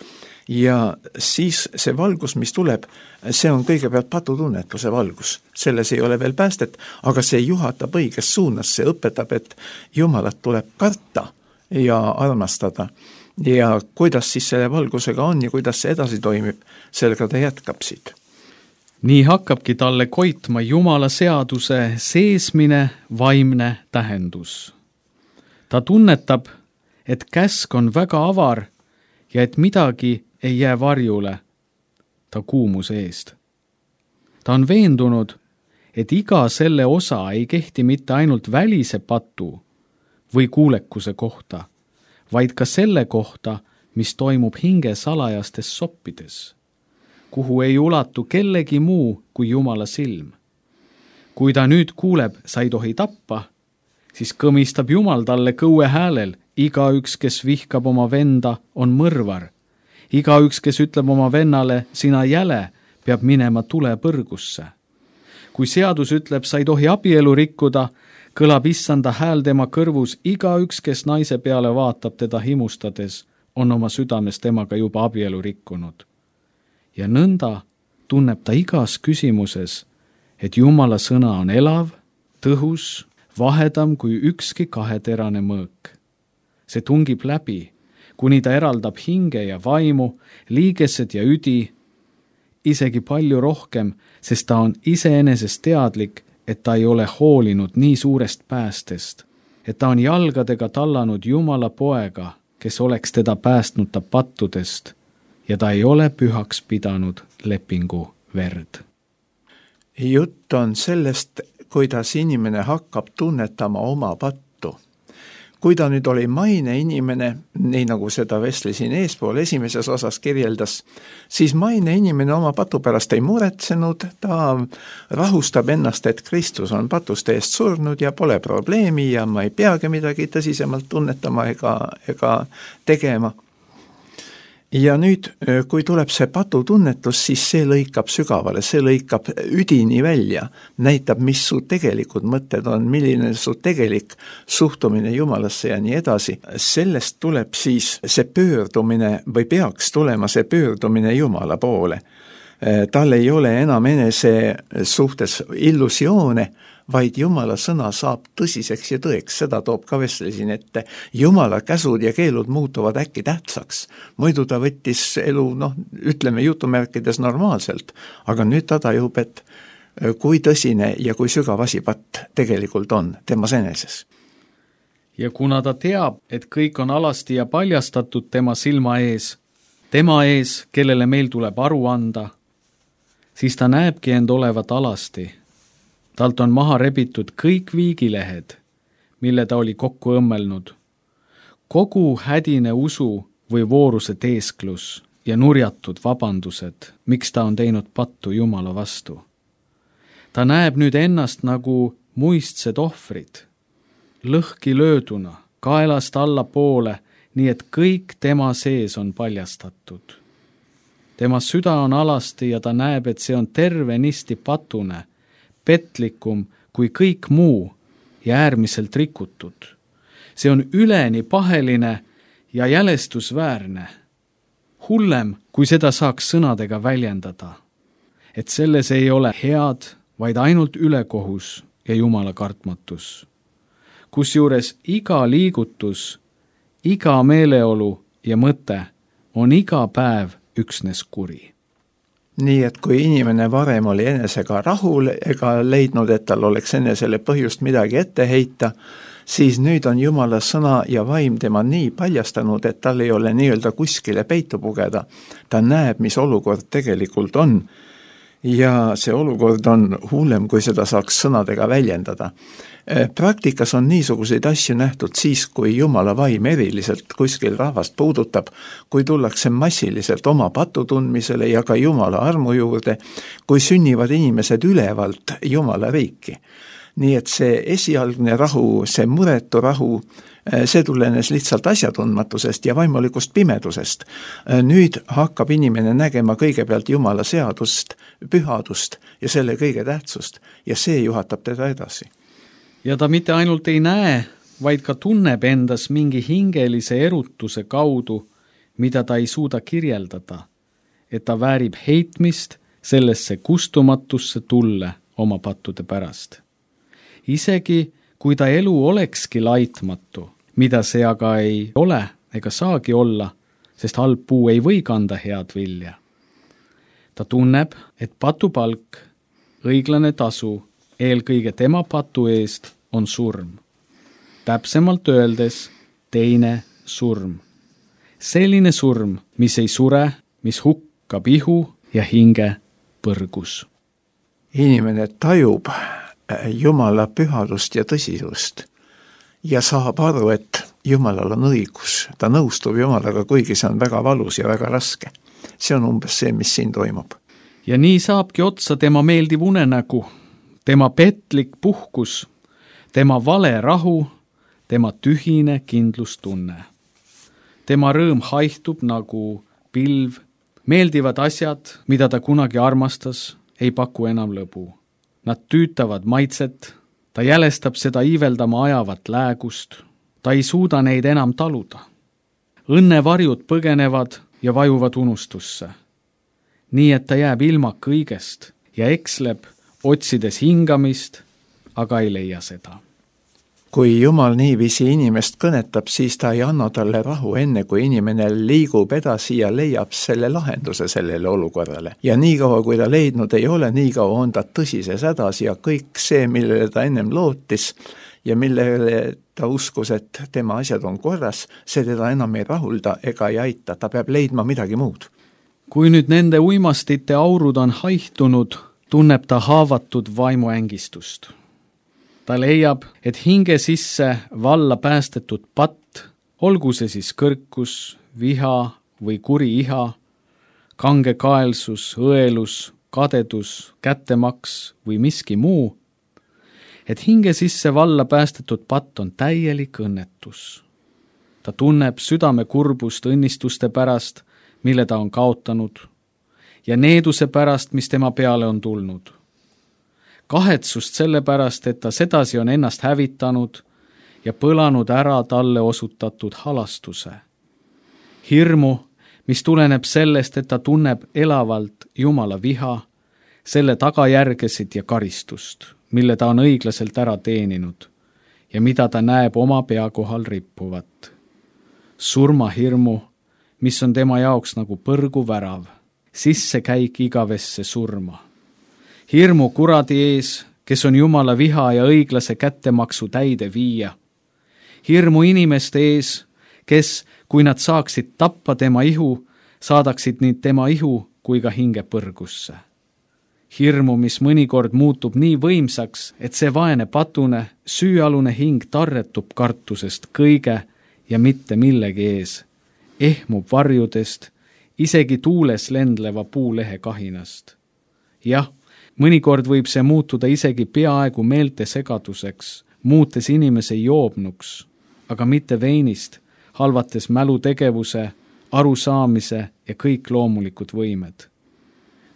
Ja siis see valgus, mis tuleb, see on kõigepealt patutunnetuse valgus. Selles ei ole veel päästet, aga see juhatab õiges suunas, see õpetab, et Jumalat tuleb karta ja armastada. Ja kuidas siis selle valgusega on ja kuidas see edasi toimib, sellega ta jätkab siit. Nii hakkabki talle koitma Jumala seaduse seesmine vaimne tähendus. Ta tunnetab, et käsk on väga avar ja et midagi ei jää varjule ta kuumuse eest. Ta on veendunud, et iga selle osa ei kehti mitte ainult välise patu või kuulekuse kohta, vaid ka selle kohta, mis toimub hinge salajastes soppides, kuhu ei ulatu kellegi muu kui Jumala silm. Kui ta nüüd kuuleb, sa ei tohi tappa, siis kõmistab Jumal talle kõue häälel, igaüks, kes vihkab oma venda, on mõrvar. Igaüks, kes ütleb oma vennale, sina jäle, peab minema tulepõrgusse. Kui seadus ütleb, sa ei tohi abielu rikkuda, kõlab issanda hääl tema kõrvus, igaüks, kes naise peale vaatab teda himustades, on oma südames temaga juba abielu rikkunud. Ja nõnda tunneb ta igas küsimuses, et Jumala sõna on elav, tõhus, vahedam kui ükski kaheterane mõõk. See tungib läbi, kuni ta eraldab hinge ja vaimu, liigesed ja üdi, isegi palju rohkem, sest ta on iseenesest teadlik, et ta ei ole hoolinud nii suurest päästest, et ta on jalgadega tallanud Jumala poega, kes oleks teda päästnud ta pattudest, ja ta ei ole pühaks pidanud lepingu verd. Jutt on sellest, kuidas inimene hakkab tunnetama oma pattu. Kui ta nüüd oli maine inimene, nii nagu seda Wesley siin eespool esimeses osas kirjeldas, siis maine inimene oma patu pärast ei muretsenud, ta rahustab ennast, et Kristus on patuste eest surnud ja pole probleemi ja ma ei peagi midagi tõsisemalt tunnetama ega tegema. Ja nüüd, kui tuleb see patutunnetus, siis see lõikab sügavale, see lõikab üdini välja, näitab, mis su tegelikud mõtted on, milline su tegelik suhtumine Jumalasse ja nii edasi. Sellest tuleb siis see pöördumine või peaks tulema see pöördumine Jumala poole. Tal ei ole enam enese suhtes illusioone, vaid Jumala sõna saab tõsiseks ja tõeks, seda toob ka Wesley siin ette. Jumala käsud ja keelud muutuvad äkki tähtsaks. Muidu ta võttis elu, ütleme jutumärkides normaalselt, aga nüüd ta tajub, et kui tõsine ja kui sügav asi patt tegelikult on temas eneses. Ja kuna ta teab, et kõik on alasti ja paljastatud tema silma ees, kellele meil tuleb aru anda, siis ta näebki end olevat alasti. Talt on maha rebitud kõik viigilehed, mille ta oli kokku õmmelnud. Kogu hädine usu või vooruse teesklus ja nurjatud vabandused, miks ta on teinud pattu Jumala vastu. Ta näeb nüüd ennast nagu muistsed ohvrid, lõhki lööduna, kaelast alla poole, nii et kõik tema sees on paljastatud. Tema süda on alasti ja ta näeb, et see on tervenisti patune, petlikum kui kõik muu ja äärmiselt rikutud. See on üleni paheline ja jälestusväärne. Hullem, kui seda saaks sõnadega väljendada. Et selles ei ole head, vaid ainult ülekohus ja Jumala kartmatus. Kusjuures iga liigutus, iga meeleolu ja mõte on iga päev üksnes kuri. Nii et kui inimene varem oli enesega rahul ega leidnud, et tal oleks enesele põhjust midagi ette heita, siis nüüd on Jumala sõna ja vaim tema nii paljastanud, et tal ei ole nii-öelda kuskile peitu pugeda. Ta näeb, mis olukord tegelikult on ja see olukord on hullem, kui seda saaks sõnadega väljendada. Praktikas on niisuguseid asju nähtud siis, kui Jumala vaim eriliselt kuskil rahvast puudutab, kui tullakse massiliselt oma patu tundmisele ja ka Jumala armu juurde, kui sünnivad inimesed ülevalt Jumala riiki. Nii et see esialgne rahu, see muretu rahu, see tulenes lihtsalt asjatundmatusest ja vaimulikust pimedusest. Nüüd hakkab inimene nägema kõigepealt Jumala seadust, pühadust ja selle kõige tähtsust ja see juhatab teda edasi. Ja ta mitte ainult ei näe, vaid ka tunneb endas mingi hingelise erutuse kaudu, mida ta ei suuda kirjeldada, et ta väärib heitmist sellesse kustumatusse tulle oma pattude pärast. Isegi kui ta elu olekski laitmatu, mida see aga ei ole ega saagi olla, sest halb puu ei või kanda head vilja. Ta tunneb, et patupalk, õiglane tasu, eelkõige tema patu eest on surm. Täpsemalt öeldes teine surm. Selline surm, mis ei sure, mis hukkab ihu ja hinge põrgus. Inimene tajub Jumala pühadust ja tõsisust ja saab aru, et Jumalal on õigus. Ta nõustub Jumalaga, kuigi see on väga valus ja väga raske. See on umbes see, mis siin toimub. Ja nii saabki otsa tema meeldiv unenägu, tema petlik puhkus, tema vale rahu, tema tühine kindlustunne. Tema rõõm haihtub nagu pilv, meeldivad asjad, mida ta kunagi armastas, ei paku enam lõbu. Nad tüütavad maitset, ta jälestab seda iiveldama ajavat läägust, ta ei suuda neid enam taluda. Õnnevarjud põgenevad ja vajuvad unustusse. Nii et ta jääb ilma kõigest ja eksleb, otsides hingamist, aga ei leia seda. Kui Jumal niiviisi inimest kõnetab, siis ta ei anna talle rahu enne, kui inimene liigub edasi ja leiab selle lahenduse sellele olukorrale. Ja niikaua, kui ta leidnud ei ole, niikaua on ta tõsises hädas ja kõik see, millele ta ennem lootis ja millele ta uskus, et tema asjad on korras, see teda enam ei rahulda ega ei aita, ta peab leidma midagi muud. Kui nüüd nende uimastite aurud on haihtunud, tunneb ta haavatud vaimuängistust. Ta leiab, et hinge sisse valla päästetud patt, olgu see siis kõrkus, viha või kuri iha, kange kaelsus, õelus, kadedus, kättemaks või miski muu, et hinge sisse valla päästetud patt on täielik õnnetus. Ta tunneb südame kurbust õnnistuste pärast, mille ta on kaotanud, ja needuse pärast, mis tema peale on tulnud. Kahetsust selle pärast, et ta sedasi on ennast hävitanud ja põlanud ära talle osutatud halastuse. Hirmu, mis tuleneb sellest, et ta tunneb elavalt Jumala viha, selle tagajärgesid ja karistust, mille ta on õiglaselt ära teeninud ja mida ta näeb oma pea kohal rippuvat. Surmahirmu, mis on tema jaoks nagu põrguvärav, sissekäik igavesse surma. Hirmu kuradi ees, kes on Jumala viha ja õiglase kättemaksu täide viia. Hirmu inimeste ees, kes, kui nad saaksid tappa tema ihu, saadaksid nii tema ihu kui ka hinge põrgusse. Hirmu, mis mõnikord muutub nii võimsaks, et see vaene patune, süüalune hing tarretub kartusest kõige ja mitte millegi ees, ehmub varjudest, isegi tuules lendleva puulehe kahinast. Jah, mõnikord võib see muutuda isegi peaaegu meelte segaduseks, muutes inimese joobnuks, aga mitte veinist, halvates mälutegevuse, arusaamise ja kõik loomulikud võimed.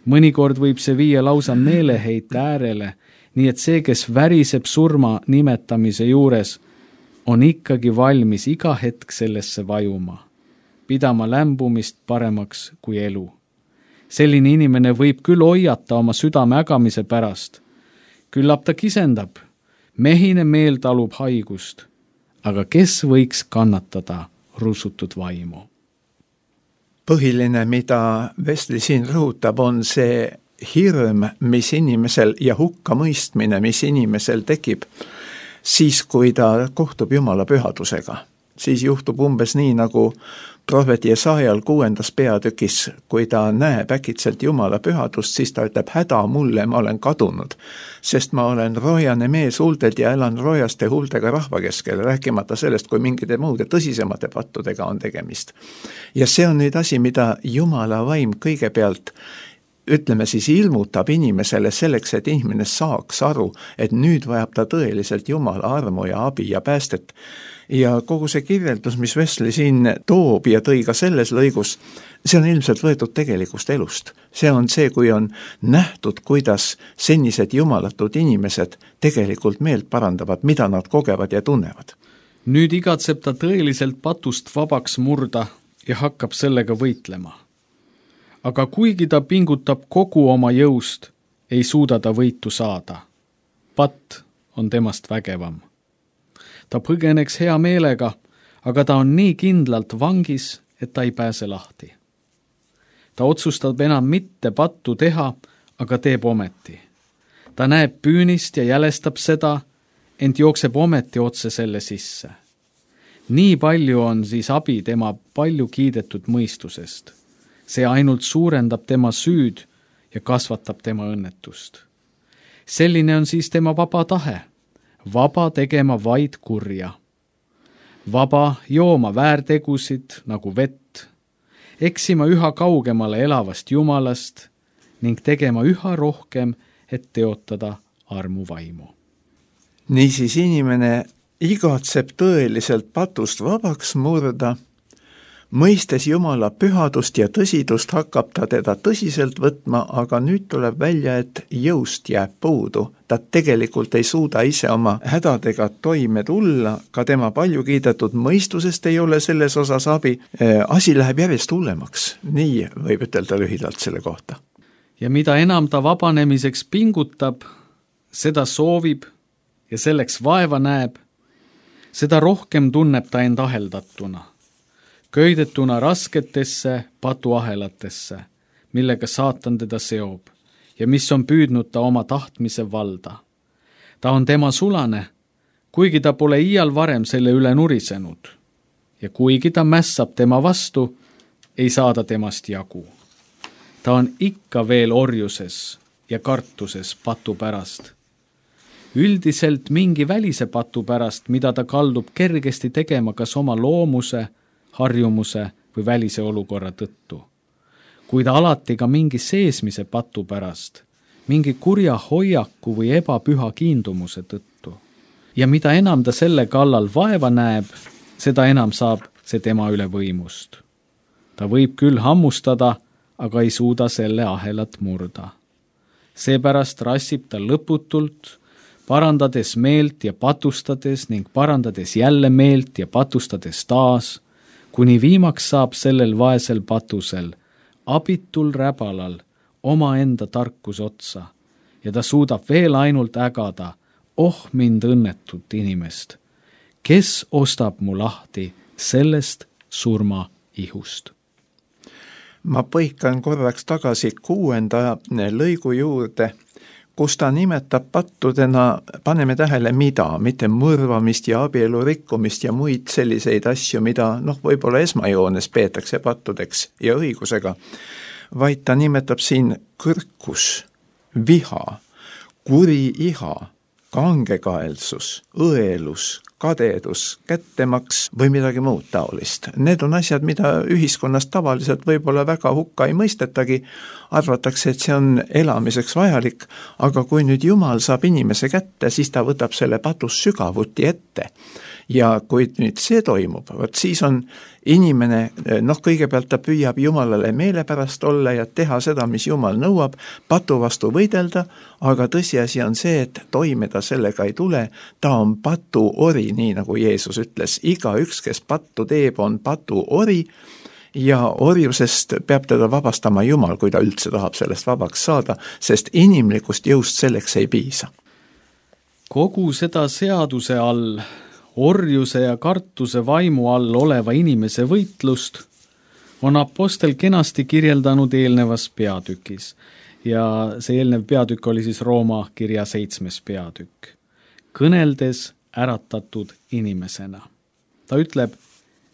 Mõnikord võib see viia lausa meeleheite äärele, nii et see, kes väriseb surma nimetamise juures, on ikkagi valmis iga hetk sellesse vajuma, pidama lämbumist paremaks kui elu. Selline inimene võib küll hoiata oma südame ägamise pärast. Küllap ta kisendab, mehine meel talub haigust, aga kes võiks kannatada rusutud vaimu? Põhiline, mida Wesley siin rõhutab, on see hirm, mis inimesel ja hukkamõistmine, mis inimesel tekib siis, kui ta kohtub Jumala pühadusega. Siis juhtub umbes nii, nagu prohvet Jesaajal 6. peatükis, kui ta näeb äkitselt Jumala pühadust, siis ta ütleb, häda mulle, ma olen kadunud, sest ma olen roojane mees huultelt ja elan roojaste huultega rahva keskel, rääkimata sellest, kui mingite muude tõsisemate pattudega on tegemist. Ja see on nüüd asi, mida Jumala vaim kõigepealt ütleme siis ilmutab inimesele selleks, et inimene saaks aru, et nüüd vajab ta tõeliselt Jumala armu ja abi ja päästet. Ja kogu see kirjeldus, mis Wesley siin toob ja tõi ka selles lõigus, see on ilmselt võetud tegelikust elust. See on see, kui on nähtud, kuidas senised jumalatud inimesed tegelikult meelt parandavad, mida nad kogevad ja tunnevad. Nüüd igatseb ta tõeliselt patust vabaks murda ja hakkab sellega võitlema. Aga kuigi ta pingutab kogu oma jõust, ei suuda ta võitu saada. Patt on temast vägevam. Ta põgeneks hea meelega, aga ta on nii kindlalt vangis, et ta ei pääse lahti. Ta otsustab enam mitte pattu teha, aga teeb ometi. Ta näeb püünist ja jälestab seda, ent jookseb ometi otse selle sisse. Nii palju on siis abi tema palju kiidetud mõistusest. See ainult suurendab tema süüd ja kasvatab tema õnnetust. Selline on siis tema vaba tahe. Vaba tegema vaid kurja. Vaba jooma väärtegusid nagu vett, eksima üha kaugemale elavast Jumalast ning tegema üha rohkem, et teotada armuvaimu. Niisiis inimene igatseb tõeliselt patust vabaks murda, mõistes Jumala pühadust ja tõsidust hakkab ta teda tõsiselt võtma, aga nüüd tuleb välja, et jõust jääb puudu. Ta tegelikult ei suuda ise oma hädadega toime tulla, ka tema palju kiidetud mõistusest ei ole selles osas abi. Asi läheb järjest hullemaks, nii võib ütelda lühidalt selle kohta. Ja mida enam ta vabanemiseks pingutab, seda soovib ja selleks vaeva näeb, seda rohkem tunneb ta end aheldatuna. Köidetuna rasketesse patuahelatesse, millega saatan teda seob ja mis on püüdnud ta oma tahtmise valda. Ta on tema sulane, kuigi ta pole iial varem selle üle nurisenud. Ja kuigi ta mässab tema vastu, ei saada temast jagu. Ta on ikka veel orjuses ja kartuses patu pärast. Üldiselt mingi välise patu pärast, mida ta kaldub kergesti tegema kas oma loomuse, harjumuse või välise olukorra tõttu. Kuid alati ka mingi seesmise patu pärast, mingi kurja hoiaku või ebapüha kiindumuse tõttu. Ja mida enam ta selle kallal vaeva näeb, seda enam saab see tema üle võimust. Ta võib küll hammustada, aga ei suuda selle ahelat murda. Seepärast rassib ta lõputult, parandades meelt ja patustades ning parandades jälle meelt ja patustades taas, kuni viimaks saab sellel vaesel patusel, abitul räbalal, omaenda tarkus otsa ja ta suudab veel ainult ägada, mind õnnetut inimest, kes ostab mu lahti sellest surma ihust. Ma põikan korraks tagasi 6. lõigu juurde, kus ta nimetab pattudena, paneme tähele mida, mitte mõrvamist ja abielu rikkumist ja muid selliseid asju, mida võib-olla esmajoones peetakse pattudeks ja õigusega, vaid ta nimetab siin kõrkus, viha, kuri iha, kangekaelsus, õelus, kadedus, kättemaks või midagi muud taolist. Need on asjad, mida ühiskonnas tavaliselt võib-olla väga hukka ei mõistetagi, arvatakse, et see on elamiseks vajalik, aga kui nüüd Jumal saab inimese kätte, siis ta võtab selle patus sügavuti ette. Ja kui nüüd see toimub, siis on inimene, kõigepealt ta püüab Jumalale meelepärast olla ja teha seda, mis Jumal nõuab, patu vastu võidelda, aga tõsiasi on see, et toime ta sellega ei tule, ta on patu ori, nii nagu Jeesus ütles, igaüks, kes pattu teeb, on patu ori ja orjusest peab teda vabastama Jumal, kui ta üldse tahab sellest vabaks saada, sest inimlikust jõust selleks ei piisa. Kogu seda seaduse all, orjuse ja kartuse vaimu all oleva inimese võitlust on apostel kenasti kirjeldanud eelnevas peatükis. Ja see eelnev peatükk oli siis Rooma kirja 7. peatükk. Kõneldes äratatud inimesena. Ta ütleb,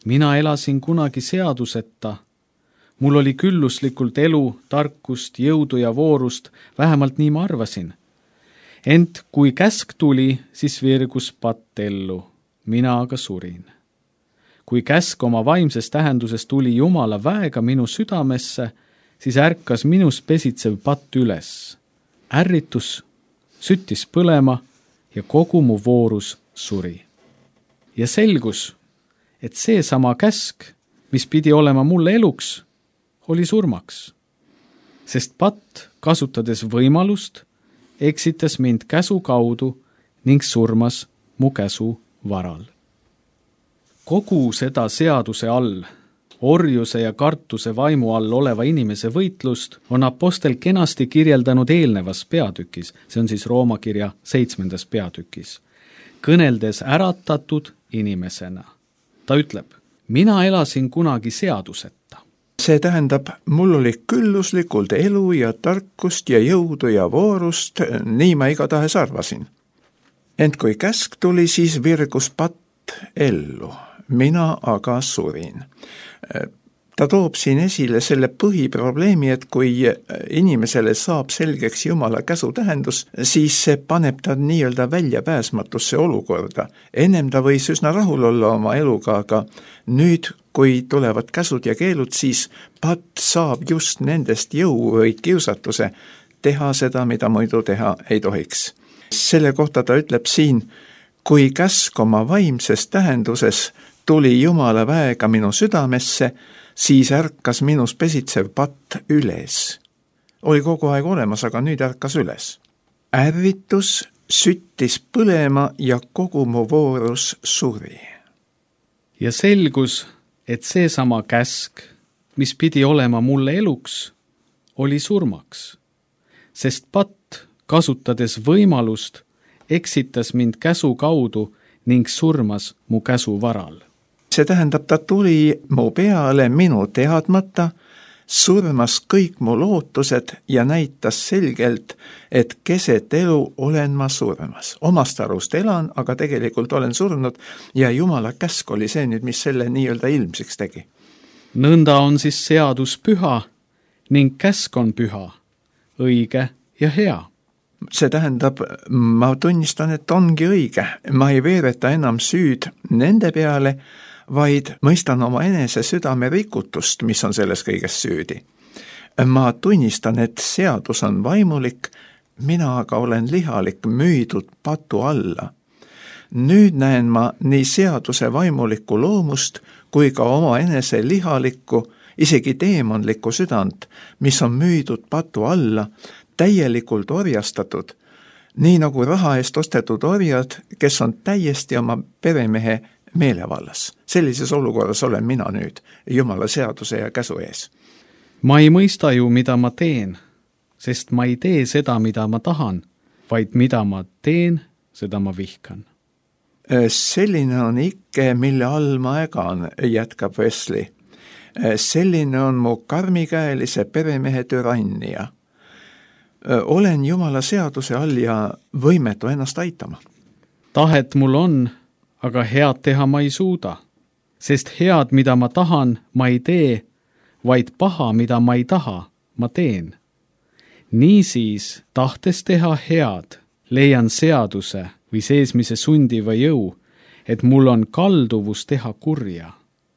mina elasin kunagi seaduseta. Mul oli külluslikult elu, tarkust, jõudu ja voorust, vähemalt nii ma arvasin. Ent kui käsk tuli, siis virgus patt ellu, mina aga surin. Kui käsk oma vaimses tähenduses tuli Jumala väega minu südamesse, siis ärkas minus pesitsev patt üles. Ärritus süttis põlema ja kogu mu voorus suri. Ja selgus, et seesama käsk, mis pidi olema mulle eluks, oli surmaks. Sest patt, kasutades võimalust, eksitas mind käsu kaudu ning surmas mu käsu varal. Kogu seda seaduse all, orjuse ja kartuse vaimu all oleva inimese võitlust on apostel kenasti kirjeldanud eelnevas peatükis, see on siis Rooma kirja 7. peatükis, kõneldes äratatud inimesena. Ta ütleb, mina elasin kunagi seaduseta. See tähendab, mul oli külluslikult elu ja tarkust ja jõudu ja voorust, nii ma igatahes arvasin. Ent kui käsk tuli, siis virgus patt ellu, mina aga surin. Ta toob siin esile selle põhiprobleemi, et kui inimesele saab selgeks Jumala käsu tähendus, siis see paneb ta nii-öelda väljapääsmatusse olukorda. Ennem ta võis üsna rahul olla oma eluga, aga nüüd, kui tulevad käsud ja keelud, siis patt saab just nendest jõu või kiusatuse teha seda, mida muidu teha ei tohiks. Selle kohta ta ütleb siin, kui käsk oma vaimses tähenduses tuli Jumala väega minu südamesse, siis ärkas minus pesitsev patt üles. Oli kogu aeg olemas, aga nüüd ärkas üles. Ärritus süttis põlema ja kogu mu voorus suri. Ja selgus, et seesama käsk, mis pidi olema mulle eluks, oli surmaks. Sest patt, kasutades võimalust, eksitas mind käsu kaudu ning surmas mu käsu varal. See tähendab, ta tuli mu peale minu teadmata, surmas kõik mu lootused ja näitas selgelt, et keset elu olen ma surmas. Omast arust elan, aga tegelikult olen surnud ja Jumala käsk oli see nüüd, mis selle nii-öelda ilmsiks tegi. Nõnda on siis seadus püha ning käsk on püha, õige ja hea. See tähendab, ma tunnistan, et ongi õige. Ma ei veereta enam süüd nende peale, vaid mõistan oma enese südame rikutust, mis on selles kõiges süüdi. Ma tunnistan, et seadus on vaimulik, mina aga olen lihalik, müüdud patu alla. Nüüd näen ma nii seaduse vaimulikku loomust kui ka oma enese lihalikku, isegi teemonlikku südant, mis on müüdud patu alla, täielikult orjastatud, nii nagu raha eest ostetud orjad, kes on täiesti oma peremehe meelevallas. Sellises olukorras olen mina nüüd Jumala seaduse ja käsu ees. Ma ei mõista ju, mida ma teen, sest ma ei tee seda, mida ma tahan, vaid mida ma teen, seda ma vihkan. Selline on ikke, mille all ma ägan, jätkab Wesley. Selline on mu karmikäelise peremehe türannia. Olen Jumala seaduse all ja võimetu ennast aitama. Tahet mul on, aga head teha ma ei suuda, sest head, mida ma tahan, ma ei tee, vaid paha, mida ma ei taha, ma teen. Niisiis, tahtes teha head, leian seaduse või seesmise sundiva jõu, et mul on kalduvus teha kurja.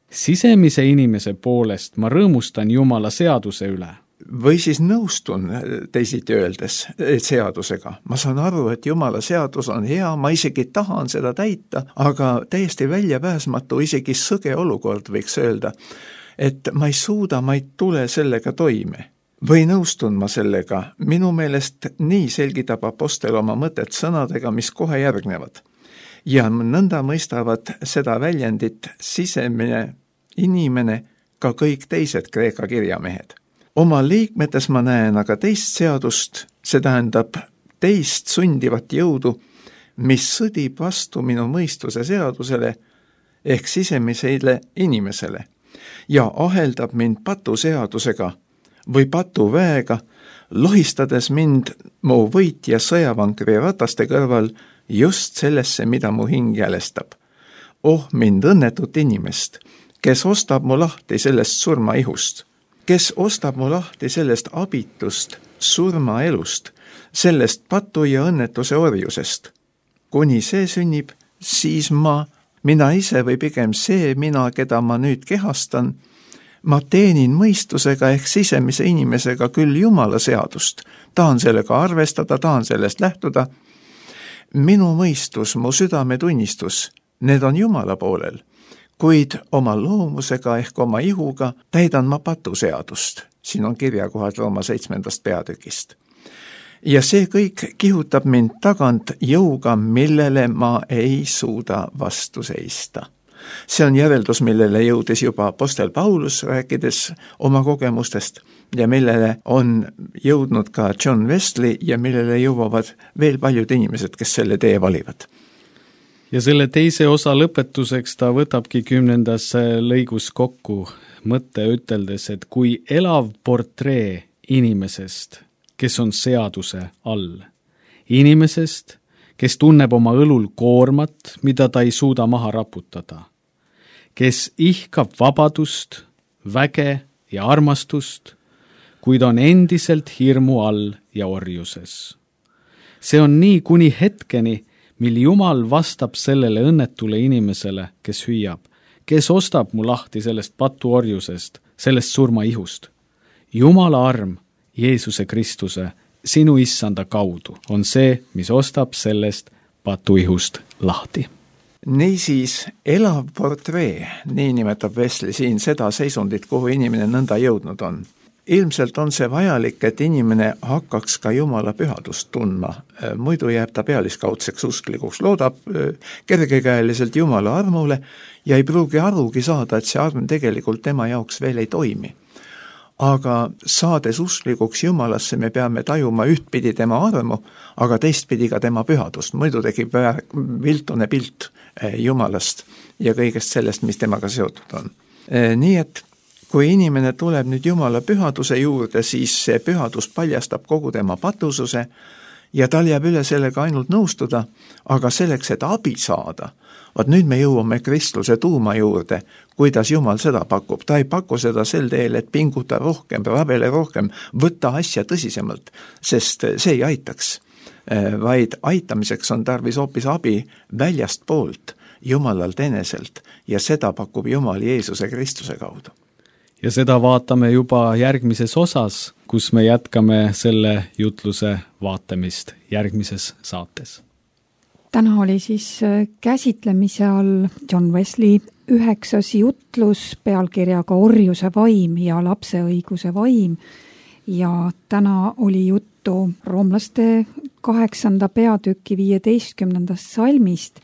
Sisemise inimese poolest ma rõõmustan Jumala seaduse üle. Või siis nõustun teisiti öeldes seadusega. Ma saan aru, et Jumala seadus on hea, ma isegi tahan seda täita, aga täiesti väljapääsmatu, isegi sõge olukord võiks öelda, et ma ei suuda, ma ei tule sellega toime. Või nõustun ma sellega, minu meelest nii selgitab apostel oma mõtet sõnadega, mis kohe järgnevad. Ja nõnda mõistavad seda väljendit sisemine inimene, ka kõik teised Kreeka kirjamehed. Oma liikmetes ma näen aga teist seadust, see tähendab teist sundivat jõudu, mis sõdib vastu minu mõistuse seadusele ehk sisemisele inimesele ja aheldab mind patuseadusega või patuväega, lohistades mind mu võitja sõjavankri rataste kõrval just sellesse, mida mu hing jälestab. Oh, mind õnnetut inimest, kes ostab mu lahti sellest surmaihust, kes ostab mu lahti sellest abitust surmaelust, sellest patu ja õnnetuse orjusest. Kuni see sünnib, siis mina ise või pigem see mina, keda ma nüüd kehastan, ma teenin mõistusega ehk sisemise inimesega küll Jumala seadust, tahan sellega arvestada, tahan sellest lähtuda. Minu mõistus, mu südametunnistus, need on Jumala poolel, kuid oma loomusega ehk oma ihuga täidan ma patuseadust. Siin on kirjakohad Rooma 7. peatükist. Ja see kõik kihutab mind tagant jõuga, millele ma ei suuda vastu seista. See on järeldus, millele jõudis juba apostel Paulus, rääkides oma kogemustest, ja millele on jõudnud ka John Wesley ja millele jõuavad veel paljud inimesed, kes selle tee valivad. Ja selle teise osa lõpetuseks ta võtabki 10. lõigus kokku mõtte üteldes, et kui elav portree inimesest, kes on seaduse all, inimesest, kes tunneb oma õlul koormat, mida ta ei suuda maha raputada, kes ihkab vabadust, väge ja armastust, kuid on endiselt hirmu all ja orjuses. See on nii kuni hetkeni, mil Jumal vastab sellele õnnetule inimesele, kes hüüab, kes ostab mu lahti sellest patuorjusest, sellest surmaihust. Jumala arm Jeesuse Kristuse, sinu issanda kaudu, on see, mis ostab sellest patuihust lahti. Niisiis, elav portree, nii nimetab Wesley siin seda seisundit, kuhu inimene nõnda jõudnud on. Ilmselt on see vajalik, et inimene hakkaks ka Jumala pühadust tundma, muidu jääb ta pealiskaudseks usklikuks, loodab kergekäeliselt Jumala armule ja ei pruugi arugi saada, et see arm tegelikult tema jaoks veel ei toimi. Aga saades usklikuks Jumalasse, me peame tajuma ühtpidi tema armu, aga teistpidi ka tema pühadust. Muidu tekib viltune pilt Jumalast ja kõigest sellest, mis temaga seotud on. Nii et kui inimene tuleb nüüd Jumala pühaduse juurde, siis see pühadus paljastab kogu tema patususe ja tal jääb üle sellega ainult nõustuda, aga selleks, et abi saada, vaat nüüd me jõuame Kristuse tuuma juurde, kuidas Jumal seda pakub. Ta ei paku seda sel teel, et pinguta rohkem, rabele rohkem, võtta asja tõsisemalt, sest see ei aitaks, vaid aitamiseks on tarvis hoopis abi väljast poolt, Jumalalt eneselt, ja seda pakub Jumal Jeesuse Kristuse kaudu. Ja seda vaatame juba järgmises osas, kus me jätkame selle jutluse vaatamist järgmises saates. Täna oli siis käsitlemise all John Wesley 9. jutlus pealkirjaga Orjuse vaim ja lapse õiguse vaim. Ja täna oli juttu roomlaste 8. peatüki 15. salmist,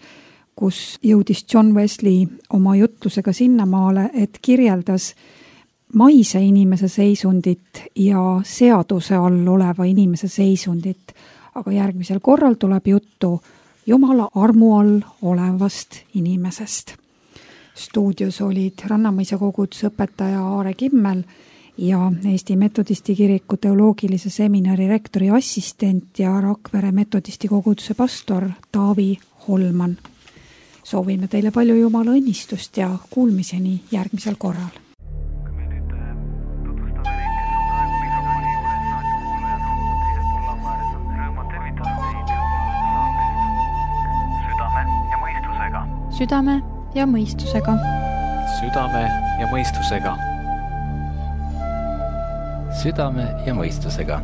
kus jõudis John Wesley oma jutlusega sinnamaale, et kirjeldas maise inimese seisundit ja seaduse all oleva inimese seisundit, aga järgmisel korral tuleb juttu Jumala armu all olevast inimesest. Stuudios olid Rannamõisa koguduse õpetaja Aare Kimmel ja Eesti Metodisti kiriku teoloogilise seminari rektori assistent ja Rakvere Metodisti koguduse pastor Taavi Holman. Soovime teile palju Jumala õnnistust ja kuulmiseni järgmisel korral. Südame ja mõistusega. Südame ja mõistusega. Südame ja mõistusega.